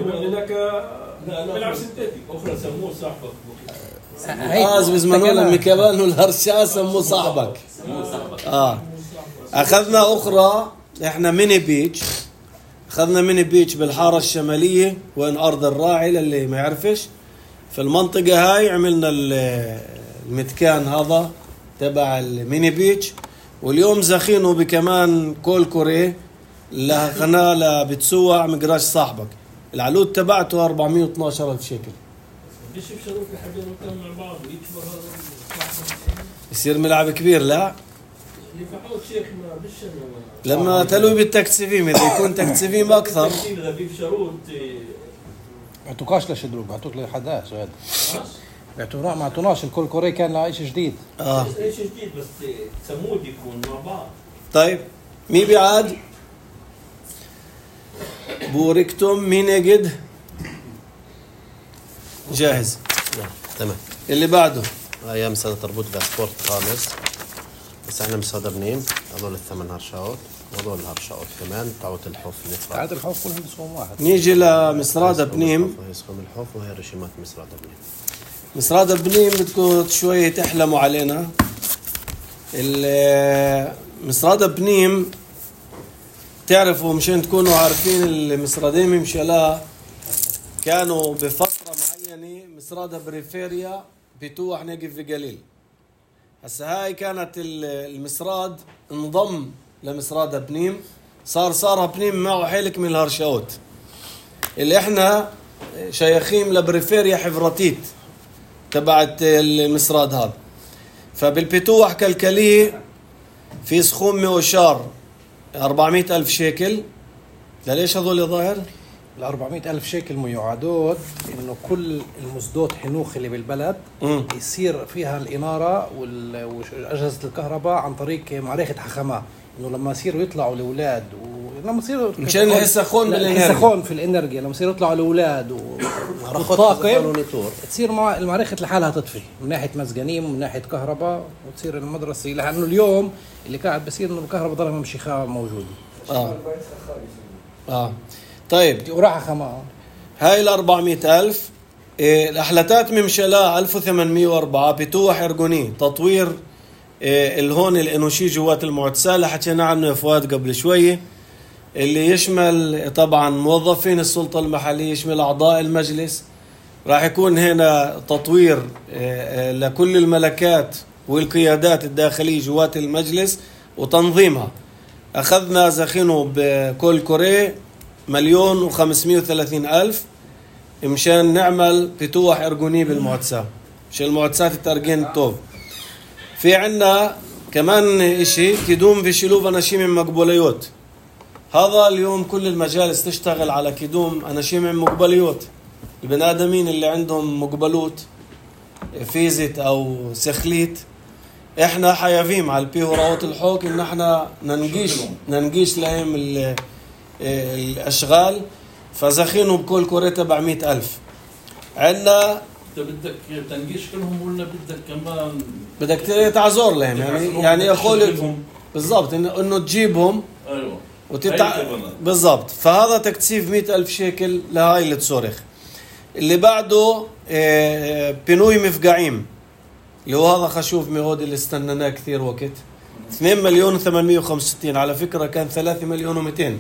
Speaker 8: يبقى هناك بيلعب سنتيتيك اخرى سموه صاحبك
Speaker 1: آز بزمانه لما كمان والهرشا سموه صاحبك. اه اخذنا اخرى احنا ميني بيتش. اخذنا ميني بيتش بالحارة الشمالية وين ارض الراعي للي ما يعرفش. في المنطقة هاي عملنا المتكان هذا تبع الميني بيتش. واليوم زاخينه بكمان كول كوري لقناة لبتسوع مقراش صاحبك. العلود تبعته أربعمية واثناشر ألف شيكل.
Speaker 7: بديش بشروط لحد ما مع بعض ويكبر هذا
Speaker 1: يصير ملعب كبير. لا
Speaker 7: يفعوه شيخ ما بالشنو
Speaker 1: لما تلوي بالتكسيفيم اذا يكون تكسيفيم اكثر.
Speaker 7: اذا في شروط
Speaker 4: بعتوكاش لشدروك بعتوك لحداش هذا بعتونا ما عطوناش الكل كوري كان له شيء جديد.
Speaker 1: اه
Speaker 7: ايش جديد بس تمود يكون مع بعض.
Speaker 1: طيب مين بيعاد بوركتم مين يجد جاهز.
Speaker 3: تمام.
Speaker 1: اللي بعده
Speaker 3: ايام سنة تربوت باسبورت خامس بس احنا مصادر بنيم. هذول الثمان هرشاوت وهذول الهرشاوت كمان تعوت الحوف النفرة.
Speaker 4: تعاد الحوف كلهم بسهم واحد.
Speaker 1: نيجي لمصرادة بنيم.
Speaker 3: هي سهم الحوف وهي رشيمات مصرادة بنيم.
Speaker 1: مصرادة بنيم بدكم شوية تحلموا علينا. مصرادة بنيم تعرفوا مشان تكونوا عارفين المصرادين ممشلا كانوا بفترة معينة مصرادة بريفيريا بتوح نقف في قليل. هسه هاي كانت المصراد انضم لمصرادة بنيم صار صار بنيم معه حيلك من الهرشاوت اللي احنا شيخين لبريفيريا حفرتيت تبعت المصراد هذا. فبالبتوح كالكليه في سخوم وشار أربعمائة ألف شيكل. ليش هذول يا ظاهر؟
Speaker 4: ال أربعمائة ألف شيكل ميعادات إنه كل المزدوت حنوخ اللي بالبلد
Speaker 1: مم.
Speaker 4: يصير فيها الإنارة وال- وأجهزة الكهرباء عن طريق معركة حخامات، إنه لما يصيروا يطلعوا الأولاد ولما يصيروا
Speaker 1: مشان يحسخون بالإنرجيا.
Speaker 4: يحسخون في الإنرجيا لما يصيروا يطلعوا الأولاد و- والطاقم تصير مع المعركة لحالها تطفي من ناحية مسجنين ومن ناحية كهرباء، وتصير المدرسة لأنه اليوم اللي قاعد بصير إنه الكهرباء ضلها ممشيخة موجودة.
Speaker 1: آه. آه. طيب
Speaker 4: وراح خما
Speaker 1: هاي ال أربعمائة ألف. إيه الأحلتات ممشلا ألف وثمانمائة وأربعة بتوح إرجوني تطوير إيه الهون الإنوشي جوات المعتسة اللي حكينا عنه يا فؤاد قبل شوية، اللي يشمل طبعا موظفين السلطة المحلية، يشمل أعضاء المجلس. راح يكون هنا تطوير إيه لكل الملكات والقيادات الداخلية جوات المجلس وتنظيمها. أخذنا زخينه بكل كوري مليون وخمسمائة وثلاثين ألف مشان نعمل فتوح إرجوني بالمعتسة، مشان المعتسات الترجين الطوب. في عنا كمان إشي كدوم في شلوف أناشيم مقبوليوت. هذا اليوم كل المجالس تشتغل على كدوم أناشيم مقبوليوت، البني آدمين اللي عندهم مقبلوت فيزت أو سخليت. إحنا حيافيم على البي وراوت الحوك إن إحنا ننقيش ننقيش لهم ال الأشغال، فزخينوا بكل كورة تبعمائة ألف. عندنا
Speaker 2: انت بدك تنقيش كلهم ولا بدك كمان
Speaker 1: بدك تعزور لهم، يعني يعني يقول بالضبط إنه إنه تجيبهم
Speaker 2: ايوه
Speaker 1: وتتع...
Speaker 2: هاي كمان.
Speaker 1: بالضبط. فهذا تكثيف مئة ألف شيكل لهاي اللي تصرخ. اللي بعده آه، بنوي مفقعيم اللي هو هذا خشوف مهودي اللي استنناه كثير وقت، اثنين مليون وثمانمائة وخمسة وستين. على فكرة كان ثلاثة مليون ومئتين،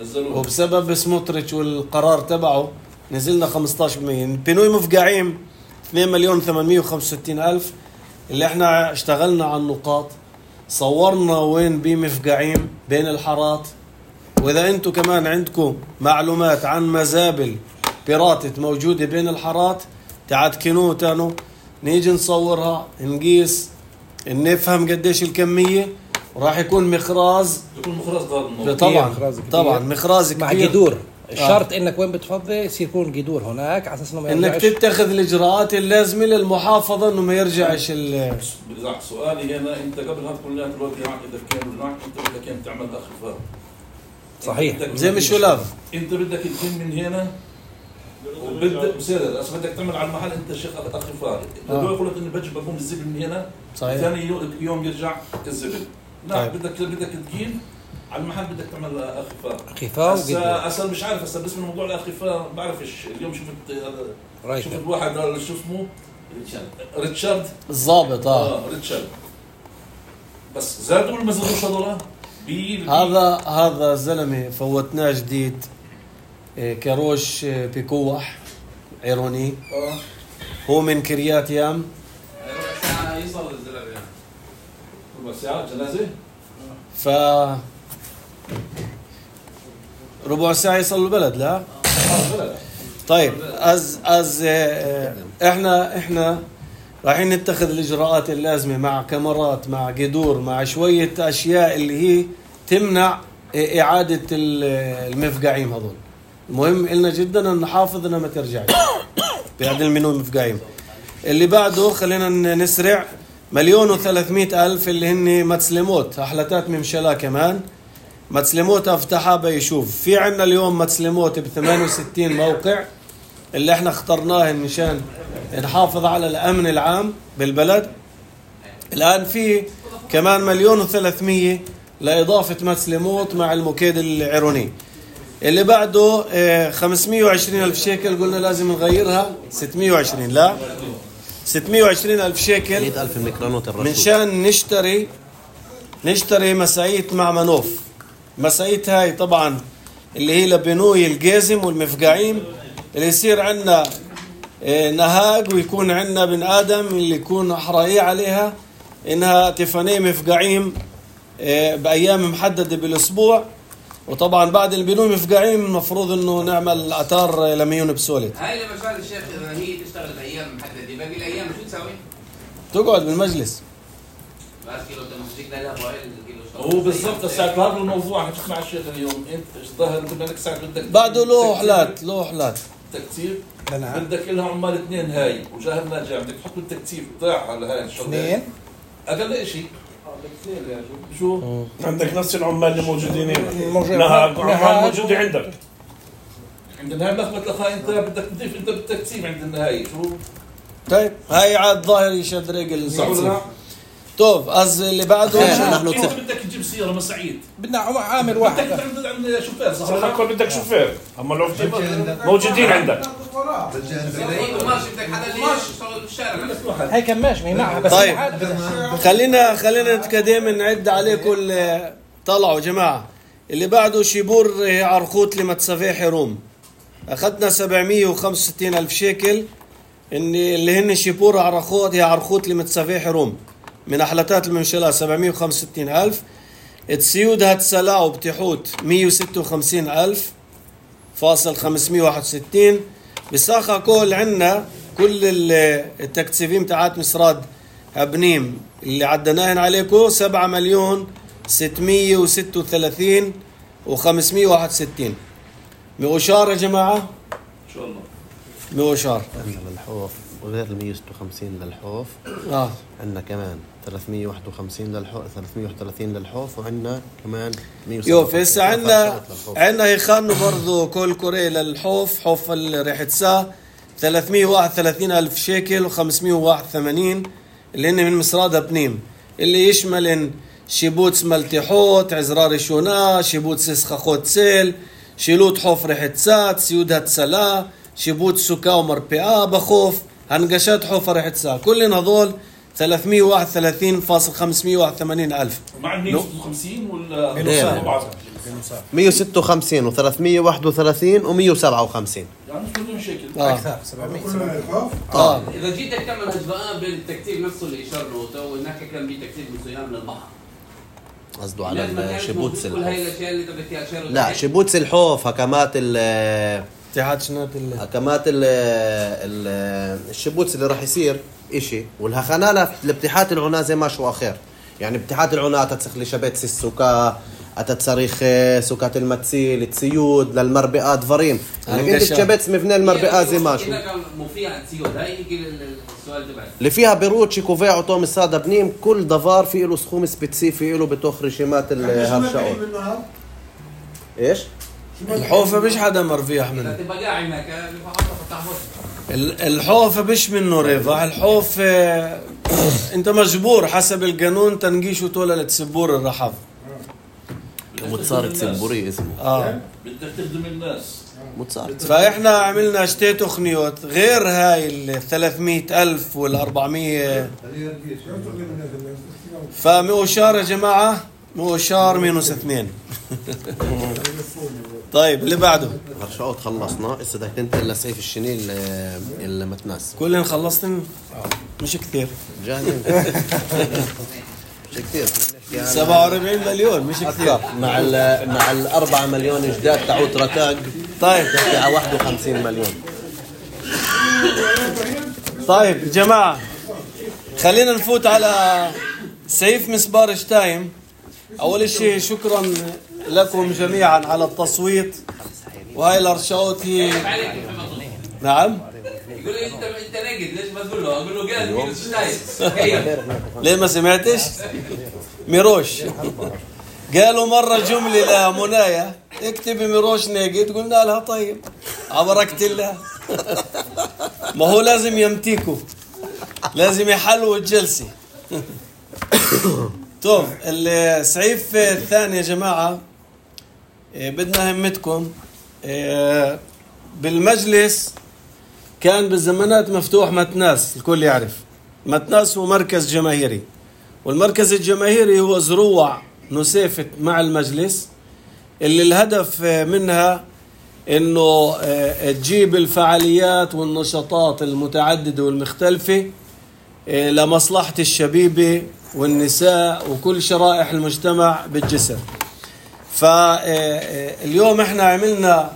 Speaker 2: نزلوه
Speaker 1: وبسبب سموتريتش والقرار تبعه نزلنا خمسة عشر بالمئة. بنوي مفقعيم اثنين مليون وثمانمائة وخمسة وستين ألف، اللي احنا اشتغلنا على النقاط، صورنا وين بمفقعيم بين الحارات. واذا انتم كمان عندكم معلومات عن مزابل بيراتت موجودة بين الحارات تعتكنوه تانو، نيجي نصورها نقيس نفهم قديش الكمية، وراح يكون مخراز.
Speaker 2: يكون مخرز غير الموضوع.
Speaker 1: طبعا
Speaker 4: مخراز كبير.
Speaker 1: طبعا مخراز كبير
Speaker 4: مع جذور. الشرط انك وين بتفضي يصير يكون جذور هناك على اساس انه ما
Speaker 1: انك
Speaker 4: يرجعش.
Speaker 1: تتخذ الاجراءات اللازمه للمحافظه انه ما يرجعش ال
Speaker 2: بدي سؤالي هنا، انت قبل هذا كله الوقت معك اذا كان معك انت بدك كان تعمل اخفاء
Speaker 4: صحيح
Speaker 1: زي مش شلاف.
Speaker 2: انت بدك تجيب من هنا وبدك بصير بس بدك تعمل على المحل انت شيخ اخفاء.
Speaker 1: آه.
Speaker 2: لو يقول لك اني بجيب بقوم الزبل من هنا
Speaker 1: صحيح.
Speaker 2: ثاني يوم- يوم يرجع الزبل. لا
Speaker 1: طيب.
Speaker 2: بدك بدك تجيب على المحل بدك تعمل اخفاء.
Speaker 4: خفاء وجذور.
Speaker 2: هسا هسا مش عارف هسا باسم الموضوع الاخفاء بعرفش. اليوم شفت
Speaker 4: رايت.
Speaker 2: شفت واحد شو اسمه ريتشارد
Speaker 1: الضابط اه
Speaker 2: اه ريتشارد، بس زادوا ولا ما زادوش هذول؟ بي
Speaker 1: هذا هذا زلمه فوتناه جديد، إيه، كروش إيه، بكوح عيروني،
Speaker 2: اه
Speaker 1: هو من كريات يام.
Speaker 5: ربع ساعة يصل الزلمة يعني.
Speaker 2: ربع ساعة جنازة؟
Speaker 1: ف ربع ساعه يصل البلد. لا
Speaker 2: اه بلد.
Speaker 1: طيب از از آه، احنا احنا رايحين نتخذ الاجراءات اللازمه مع كاميرات مع جذور مع شويه اشياء اللي هي تمنع اعاده ال- المفقعين هذول. المهم إلنا جدا ان نحافظ انها ما ترجعش بعد المنو مفقعين. اللي بعده خلينا نسرع، مليون وثلاثمائة ألف اللي هن متسلموت أحلتات ممشلا. كمان متسلموت أفتحها بيشوف. في عنا اليوم متسلموت ب ثمانية وستين موقع اللي احنا اخترناه مشان نحافظ على الأمن العام بالبلد. الآن في كمان مليون وثلاثمية لإضافة متسلموت مع المكيد العيروني. اللي بعده اه خمسمائة وعشرين ألف شيكل قلنا لازم نغيرها ستمائة وعشرين. لا ستمائة وعشرين ألف شيكل
Speaker 3: مئة ألف الميكرونوت الرشود.
Speaker 1: منشان نشتري نشتري مساعيت مع منوف. مساعيت هاي طبعا اللي هي لبنوي الجازم والمفقعين، اللي يصير عندنا نهاج ويكون عندنا بن آدم اللي يكون أحرائي عليها إنها تفني مفقعين بأيام محددة بالأسبوع. وطبعا بعد البنوي مفقعين المفروض إنه نعمل أتار لميون بسولت.
Speaker 5: هاي لما شغال الشيخ إذا هي تشتغل بأيام محددة باقي الأيام شو تسوي؟
Speaker 1: تقعد بالمجلس
Speaker 2: هو بالضبط ساعة هذا الموضوع حتسمع الشيخ اليوم انت ظاهر انت بدك ساعة بدك
Speaker 1: بعده له حلات له حلات
Speaker 2: تكتيب بدك لها عمال اثنين هاي وجاهل ناجع بدك تحط التكتيب بتاعها على هاي الشغله
Speaker 4: اثنين
Speaker 2: اقل شيء شو
Speaker 8: عندك نفس العمال اللي موجودين هنا
Speaker 4: موجود-
Speaker 8: لها
Speaker 4: لها-
Speaker 8: عمال موجودة عندك
Speaker 2: عند النهاية مثبت لها انت بدك تضيف انت بالتكتيب عند النهاية شو
Speaker 1: طيب هاي عاد ظاهر يشد رجل
Speaker 2: صح ولا لا؟
Speaker 1: طيب از اللي بعده
Speaker 3: نحن
Speaker 2: انت
Speaker 3: تص-
Speaker 2: بدك تجيب سيارة مسعيد
Speaker 4: بدنا عم- عامل
Speaker 2: بدك
Speaker 4: واحد
Speaker 2: عند عند شوفير صح
Speaker 8: صح
Speaker 2: ولا لا؟
Speaker 8: يكون بدك شوفير اما لو في موجودين عندك
Speaker 4: هي كماش ما معها بس
Speaker 1: طيب.
Speaker 4: عاد-
Speaker 1: خلينا خلينا نتقدم نعد عليكم ال- طلعوا جماعة اللي بعده شيبور عرقوت لمتسافي حروم أخذنا سبعمية وخمسة وستين ألف شيكل إن اللي هن شيبور عرقوت هي عرقوت لمتسافي حروم من أحلتات الممشلة سبعمية وخمسة وستين ألف تسيود هتسلا وبتحوت مية وستة وخمسين ألف فاصل خمسمية وواحد وستين بساخة كل عنا كل ال- التكتيفين تاعت مسراد أبنيم اللي عدناهن عليكم سبعة مليون ستمية وستة وثلاثين وخمسمية وواحد وستين مئوشار يا جماعة
Speaker 2: ان شاء الله
Speaker 1: مئوشار
Speaker 3: عندنا للحوف وغير ال مية وستة وخمسين للحوف
Speaker 1: آه.
Speaker 3: عندنا كمان ثلاثمية وواحد وخمسين للحوف ثلاثمية وواحد وثلاثين للحوف وعندنا كمان مية وسبعة
Speaker 1: يوف
Speaker 3: وخمسين.
Speaker 1: هسه عندنا
Speaker 3: للحوف.
Speaker 1: عندنا يخانوا برضو كل كوري للحوف حوف ريحة سا ثلاثمية وواحد وثلاثين ألف شيكل وخمسمية وواحد وثمانين اللي هن من مصراد أبنيم اللي يشمل إن شيبوتس ملتحوت عزرار شونا شيبوتس اسخاخوت سيل شيلوت حوف ريحة سا سيود هتسلا شيبوت سكا ومربئة بخوف هنقشات حوف ريحة سا كلنا هذول ثلاثمية وواحد وثلاثين فاصل خمسمية وواحد وثمانين ألف
Speaker 2: مع ال مية وستة وخمسين ولا
Speaker 3: غير.
Speaker 2: بعض؟
Speaker 3: مية وستة وخمسين و331 ومية وسبعة وخمسين
Speaker 2: يعني مش كلهم شكل
Speaker 1: آه.
Speaker 4: اكثر سبعمية
Speaker 6: كله من الخوف
Speaker 1: آه.
Speaker 5: اذا جيت تعمل هجباء بين التكتيب نفسه اللي اشار له تو هناك كان في تكتيب من صيام من البحر
Speaker 3: قصده
Speaker 5: لازم
Speaker 3: على
Speaker 5: نعرف
Speaker 3: شيبوتس
Speaker 5: كل هاي
Speaker 3: الحوف
Speaker 5: الاشياء اللي انت بدك اياها اشار
Speaker 3: لا شيبوتس الحوف هكمات ال
Speaker 1: اتحاد شنات ال
Speaker 3: هكمات ال ال- الشيبوتس اللي راح يصير إشي والهخنانة لابتحات العناة زي ما شو آخر يعني ابتحات العناة تتسخلي شبيتس السكا أتتصريخ سكات المتسيل تسيود للمربئات دفرين انك انت تشبتس مفنى المربئات زي ما شو
Speaker 5: كده كان مفيع تسيود هاي يجي السؤال تبعي
Speaker 3: اللي فيها بيروتشي كوفيع وطوم السادة بنيم كل دفار في له سخوم سبيسيفي له بتوخ رشيمات الهرشاوت ايش؟
Speaker 1: الحوفة مش حدا مرفيح
Speaker 5: اذا
Speaker 1: منه
Speaker 5: تبقى قاعد هناك اللي فحطها فتح
Speaker 1: ال- الحوفة مش منه ريفة الحوف آه، انت مجبور حسب القانون تنقيشه طولة لتسبور الرحف
Speaker 3: متصارك سمبوري اسمه
Speaker 1: اه
Speaker 2: بدك تخدم الناس
Speaker 3: متصارك
Speaker 1: فاحنا عملنا شتي تخنيوت غير هاي ال ثلاثمية ألف وال أربعمية فمؤشار يا جماعة مؤشار مينوس اثنين طيب اللي بعده
Speaker 3: هرشاوت خلصنا هسه بدك تنتقل لسعيف الشنيل المتناس
Speaker 1: كلن خلصتن مش كثير
Speaker 3: جاهزين مش كثير
Speaker 1: سبعة وأربعين مليون مش كثير
Speaker 3: مع ال مع الأربعة مليون جداد تعود رتاق
Speaker 1: طيب
Speaker 3: تحكي على واحد وخمسين مليون
Speaker 1: طيب جماعة خلينا نفوت على سيف مسبار شتايم أول شيء شكرا لكم جميعا على التصويت وهاي الأرشاوت هي نعم
Speaker 5: يقول لي انت انت نجد ليش ما تقول له؟ اقول له قال مينوس شتايم هي
Speaker 1: ليه ما سمعتش ميروش قالوا مرة جملة لمنايا اكتبي ميروش ناجد قلنا لها طيب عبركت الله ما هو لازم يمتيكوا لازم يحلوا الجلسة طيب السعيف الثاني يا جماعة إيه، بدنا همتكم إيه، بالمجلس كان بالزمانات مفتوح متناس الكل يعرف متناس هو مركز جماهيري والمركز الجماهيري هو زروع نسيفت مع المجلس اللي الهدف منها انه تجيب الفعاليات والنشاطات المتعددة والمختلفة لمصلحة الشبيبة والنساء وكل شرائح المجتمع بالجسر فاليوم احنا عملنا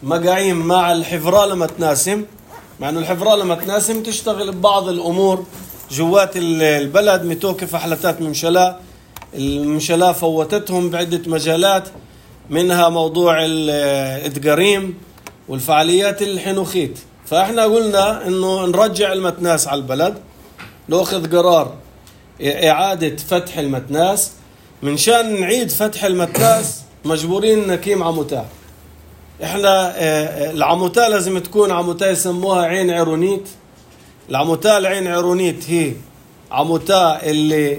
Speaker 1: مقاعيم مع الحفرة لما تناسم مع انه الحفرة لما تناسم تشتغل ببعض الامور جوات البلد متوقف حلتات ممشلاء. الممشلاء فوتتهم بعدة مجالات، منها موضوع الإدقاريم والفعاليات الحنوخيت. فإحنا قلنا إنه نرجع المتناس على البلد، نأخذ قرار إعادة فتح المتناس. من شان نعيد فتح المتناس مجبورين نقيم عموتة. إحنا العموتة لازم تكون عموتة يسموها عين عرونيت. العموتة العين عرونيت هي عموتة اللي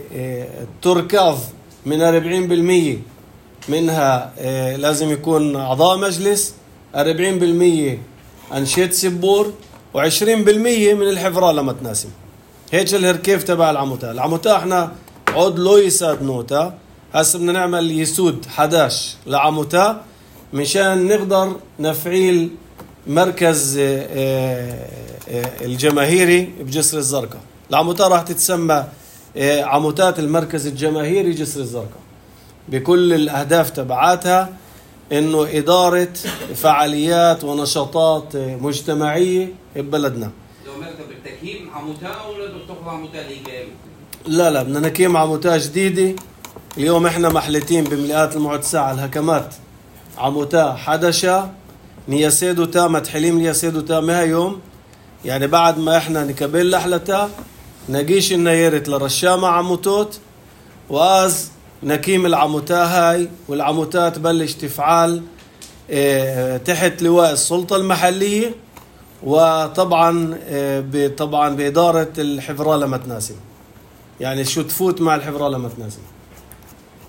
Speaker 1: تركض من أربعين بالمية منها لازم يكون أعضاء مجلس، أربعين بالمية أنشطة سبور، وعشرين بالمية من الحفرة لمتناسم. هيك الهركيف تبع العموتة. العموتة احنا عود لو يساد نوتا، هسه بدنا نعمل يسود حداش لعموتة مشان نقدر نفعيل مركز الجماهيري بجسر الزرقاء. العموتة راح تتسمى عموتات المركز الجماهيري جسر الزرقاء، بكل الأهداف تبعاتها إنه إدارة فعاليات ونشاطات مجتمعية ببلدنا.
Speaker 5: لو مركب بالتكييم عموتة ولا بتاخذ عموتة ليجال؟
Speaker 1: لا لا، بدنا نقيم عموتة جديدة. اليوم إحنا محلتين بملئات المعتسة على الهكمات عموتة حدشة نياسيدوتا متحليم نياسيدوتا مها يوم، يعني بعد ما إحنا نكبل لحلتا نجيش النيرت لرشامة عموتوت وآز نكيم العموتة هاي، والعموتة تبلش تفعال اه تحت لواء السلطة المحلية، وطبعا اه طبعا بإدارة الحفرة لمتناسم، يعني شو تفوت مع الحفرة لمتناسم.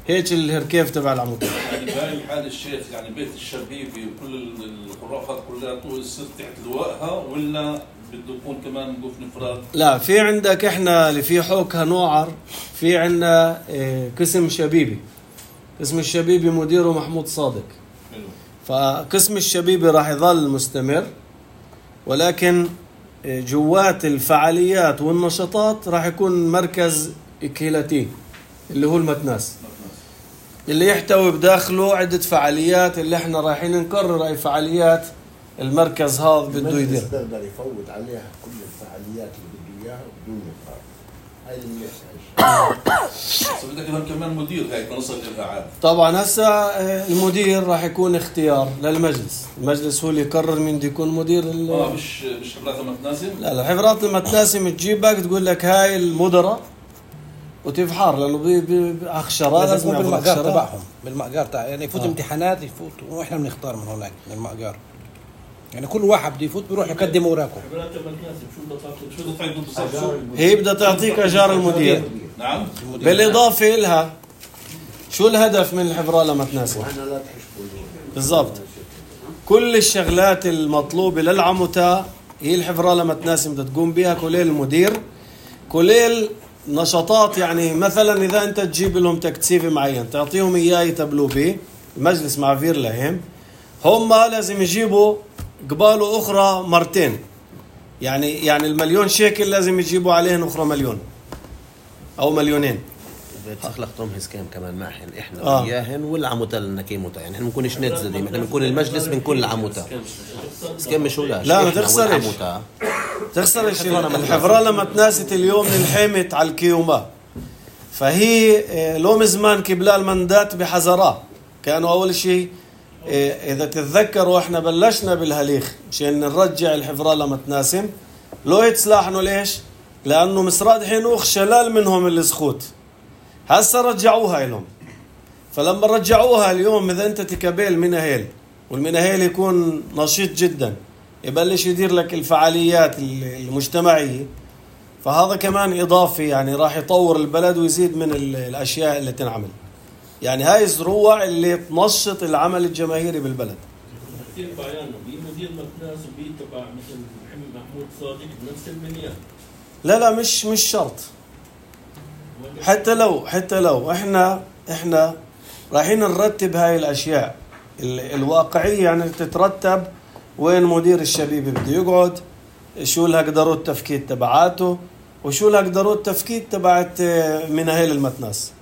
Speaker 1: هيك الهركيف تبع العموتة.
Speaker 2: يعني بهاي الحالة الشيخ يعني بيت الشبيبي وكل الخرافات كلها تصير تحت لوائها، ولا بده يكون كمان نقف نفراد؟
Speaker 1: لا، في عندك احنا اللي في حوكها نوعر، في عندنا اه قسم شبيبي. قسم الشبيبي مديره محمود صادق. حلو. فقسم الشبيبي راح يظل مستمر، ولكن جوات الفعاليات والنشاطات راح يكون مركز كهيلتي اللي هو المتناس، اللي يحتوي بداخله عدة فعاليات اللي احنا رايحين نقرر اي فعاليات المركز هذا بده يدير.
Speaker 9: بيقدر يفوت عليها كل الفعاليات اللي بده اياها بدون نقاط. هاي اللي
Speaker 2: بس بدك كمان مدير هيك نوصل للقاعات.
Speaker 1: طبعا هسه المدير راح يكون اختيار للمجلس، المجلس هو اللي يقرر مين بده يكون مدير.
Speaker 2: اه مش مش حفرات المتناسم؟
Speaker 1: لا لا، حفرات المتناسم تجيبك تقول لك هاي المدراء وتفحر، لانه باخشرات
Speaker 4: لازم يكون بالمقار تبعهم، بالمقار تاع يعني يفوت آه. امتحانات يفوت واحنا بنختار من هناك من المقار، يعني كل واحد بده يفوت بيروح يقدم اوراقه.
Speaker 1: هي بدها تعطيك اجار المدير.
Speaker 2: نعم.
Speaker 1: بالاضافه لها شو الهدف من الحفره لمتناسم؟ بالضبط كل الشغلات المطلوبه للعموتة هي الحفره لمتناسم بدها تقوم بها، كليل المدير، كليل نشاطات. يعني مثلا اذا انت تجيب لهم تكثيف معين تعطيهم اياه يتبلوا به، المجلس معفير لهم، هم لازم يجيبوا قباله اخرى مرتين، يعني يعني المليون شيكل لازم يجيبوا عليهن اخرى مليون او مليونين.
Speaker 3: تخلقتهم هسكام كمان معهن احنا آه. وياهن والعموتة النكيموتة، يعني احنا بنكونش نتزة ديما، احنا بنكون المجلس بنكون العموتة. سكام مش ولاش.
Speaker 1: لا ما تخسرش تخسرش الحفرة لما تناست اليوم نلحمت على الكيوما، فهي لو مزمان كبلا المندات بحذرها. كانوا اول شيء اذا تتذكروا احنا بلشنا بالهليخ مشان نرجع الحفرة لما تناسم، لو يتصلاحنوا ليش؟ لانه مسراد حنوخ شلال منهم السخوت، هسه رجعوها لهم. فلما رجعوها اليوم اذا انت تكبل مناهيل والمناهيل يكون نشيط جدا يبلش يدير لك الفعاليات المجتمعية، فهذا كمان اضافي يعني راح يطور البلد ويزيد من الاشياء اللي تنعمل. يعني هاي الزروع اللي تنشط العمل الجماهيري بالبلد.
Speaker 8: كثير بعيانه بمدير متناس وبي تبع مثل محمود صادق بنفس المنيان.
Speaker 1: لا لا مش مش شرط، حتى لو حتى لو احنا احنا رايحين نرتب هاي الاشياء الواقعيه، يعني تترتب وين مدير الشبيبي بده يقعد، شو لها قدروا التفكيك تبعاته، وشو لها قدروا التفكيك تبعت مناهيل المتناس.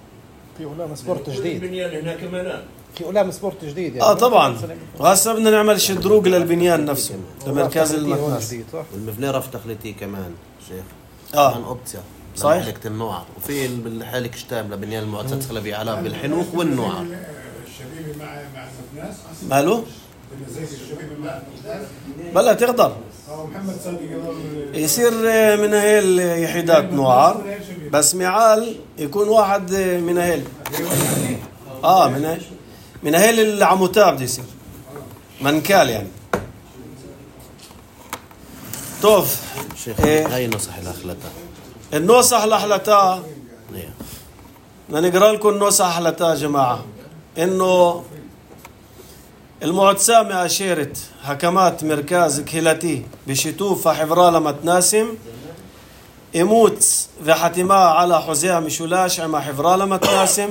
Speaker 4: في علام سبورت جديد
Speaker 8: البنيان هنا كمان،
Speaker 4: في علام سبورت جديد يعني.
Speaker 1: اه طبعا، وهسه بدنا نعمل شدروق للبنيان نفسه لمركز المتناس.
Speaker 3: والمفنيرة في تخليتي كمان شيخ. اه من اوبتيا
Speaker 1: صحيح
Speaker 3: حلقة النوعر، وفي بالحالك شتام لبنيان المؤسسات الخلبية علام بالحنوخ والنوعر.
Speaker 6: الشبيبي مع مع الناس
Speaker 1: ماله؟
Speaker 6: زي الشبيبي مع الناس
Speaker 1: بلا تقدر
Speaker 6: اه محمد صادق
Speaker 1: يصير من هاي اليحيدات نوعر، بس معال يكون واحد من هاي اه من هاي من هاي العموتاب بده يصير منكال يعني. توف
Speaker 3: شيخ
Speaker 1: إيه.
Speaker 3: هاي نصح الأخلطة
Speaker 1: النصح لحلتها
Speaker 3: إيه.
Speaker 1: بدنا نقرا لكم النصح لحلتها يا جماعة. إنه المعتصامة أشيرت حكمات مركز كهيلتي بشتوف حفرالة متناسم إموت وحتما على حزيها مشولاش عما حفرالة متناسم.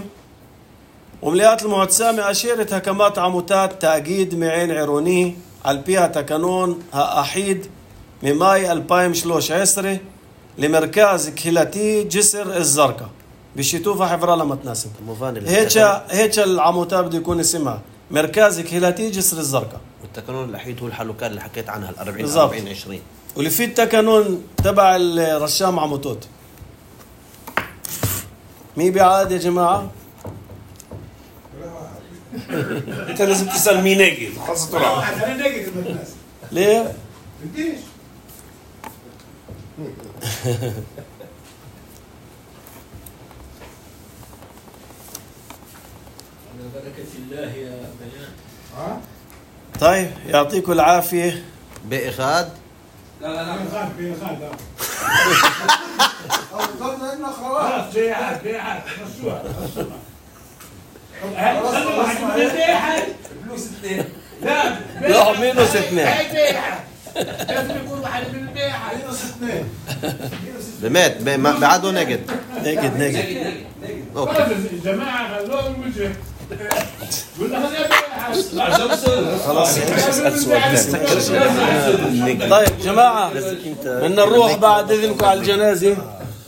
Speaker 1: ومليات المعتصامة أشيرت حكمات عموتات تأكيد معين عيروني على بيها تكنون أحيد من ماي ألفين وثلاثة عشر لمركز كهيلتي جسر الزرقاء بشتوفة حفرالة متناسم. هيك هيك العموتات بده يكون اسمها مركز كهيلتي جسر الزرقاء.
Speaker 3: والتكنون الأحيد هو الحلوكان اللي حكيت عنها ال أربعين
Speaker 1: أربعين
Speaker 3: عشرين
Speaker 1: واللي فيه التكنون تبع الرشام عموتوت. مي بعاد يا جماعة؟
Speaker 7: انت لازم تسال مين ناجي خلص طلع
Speaker 6: انا ناقد الناس
Speaker 1: ليه؟
Speaker 6: بديش
Speaker 7: على بركه الله يا بيان.
Speaker 6: ها
Speaker 1: طيب يعطيكم العافية.
Speaker 3: باقي خاد
Speaker 5: لا لا لا
Speaker 6: خالد في خالد
Speaker 9: ضلنا لنا خلاص
Speaker 7: خلاص بيعات بيعات مشروع خلوا واحد من البيعات
Speaker 5: فلوس اثنين.
Speaker 7: لا
Speaker 1: لا مينوس اثنين.
Speaker 7: هاي بيعات لازم يكون واحد من البيعات
Speaker 6: مينوس اثنين
Speaker 3: بمات ب- بعده نجد.
Speaker 1: نجد نجد.
Speaker 5: نجد نجد نجد.
Speaker 3: اوكي
Speaker 7: خلاص الجماعه خلوهم الوجه ولا هذا بيعات
Speaker 5: لا شمسون.
Speaker 1: خلاص
Speaker 7: اسال سؤال
Speaker 1: طيب جماعة بدنا نروح بعد إذنكم على الجنازة.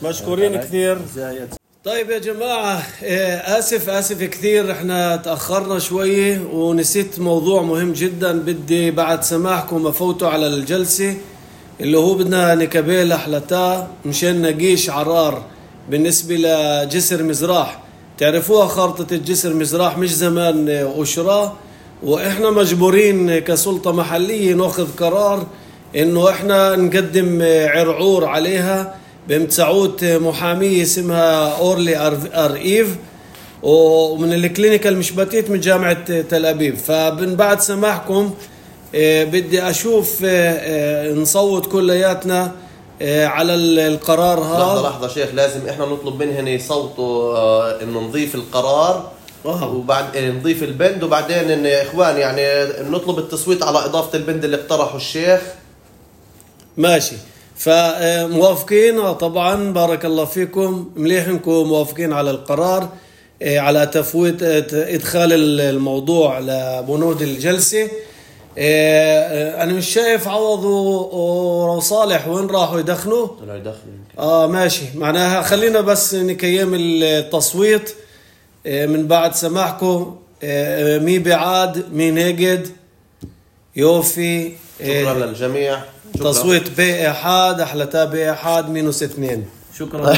Speaker 1: مشكورين كثير. طيب يا جماعة آه، آسف آسف كثير احنا تأخرنا شوية ونسيت موضوع مهم جدا. بدي بعد سماحكم أفوتوا على الجلسة اللي هو بدنا نكبيل أحلتا مشان نقيش عرار بالنسبة لجسر مزراح. تعرفوها خارطة الجسر مزراح مش زمان أشرا، وإحنا مجبورين كسلطة محلية نأخذ قرار إنه إحنا نقدم عرعور عليها بمتسعود محامية اسمها أورلي أرئيف ومن الكلينيكال مشبتيت من جامعة تل أبيب. فمن بعد سماحكم بدي أشوف نصوت كلياتنا على القرار
Speaker 3: لحظة
Speaker 1: هذا.
Speaker 3: لحظة شيخ، لازم احنا نطلب منهم يصوتوا آه انه نضيف القرار
Speaker 1: آه.
Speaker 3: وبعد إيه نضيف البند، وبعدين ان اخوان يعني نطلب التصويت على اضافة البند اللي اقترحه الشيخ.
Speaker 1: ماشي فموافقين طبعا بارك الله فيكم مليح انكم موافقين على القرار على تفويت ادخال الموضوع لبنود الجلسة. انا مش شايف عوض وصالح وين راحوا يدخنوا.
Speaker 3: طلعوا يدخلوا
Speaker 1: اه ماشي معناها خلينا بس نكيم التصويت من بعد سماحكم. مي بعاد مي نجد يوفي.
Speaker 3: شكرا للجميع. شكرا.
Speaker 1: تصويت بي احاد احلتا بي احاد مينوس اثنين. شكرا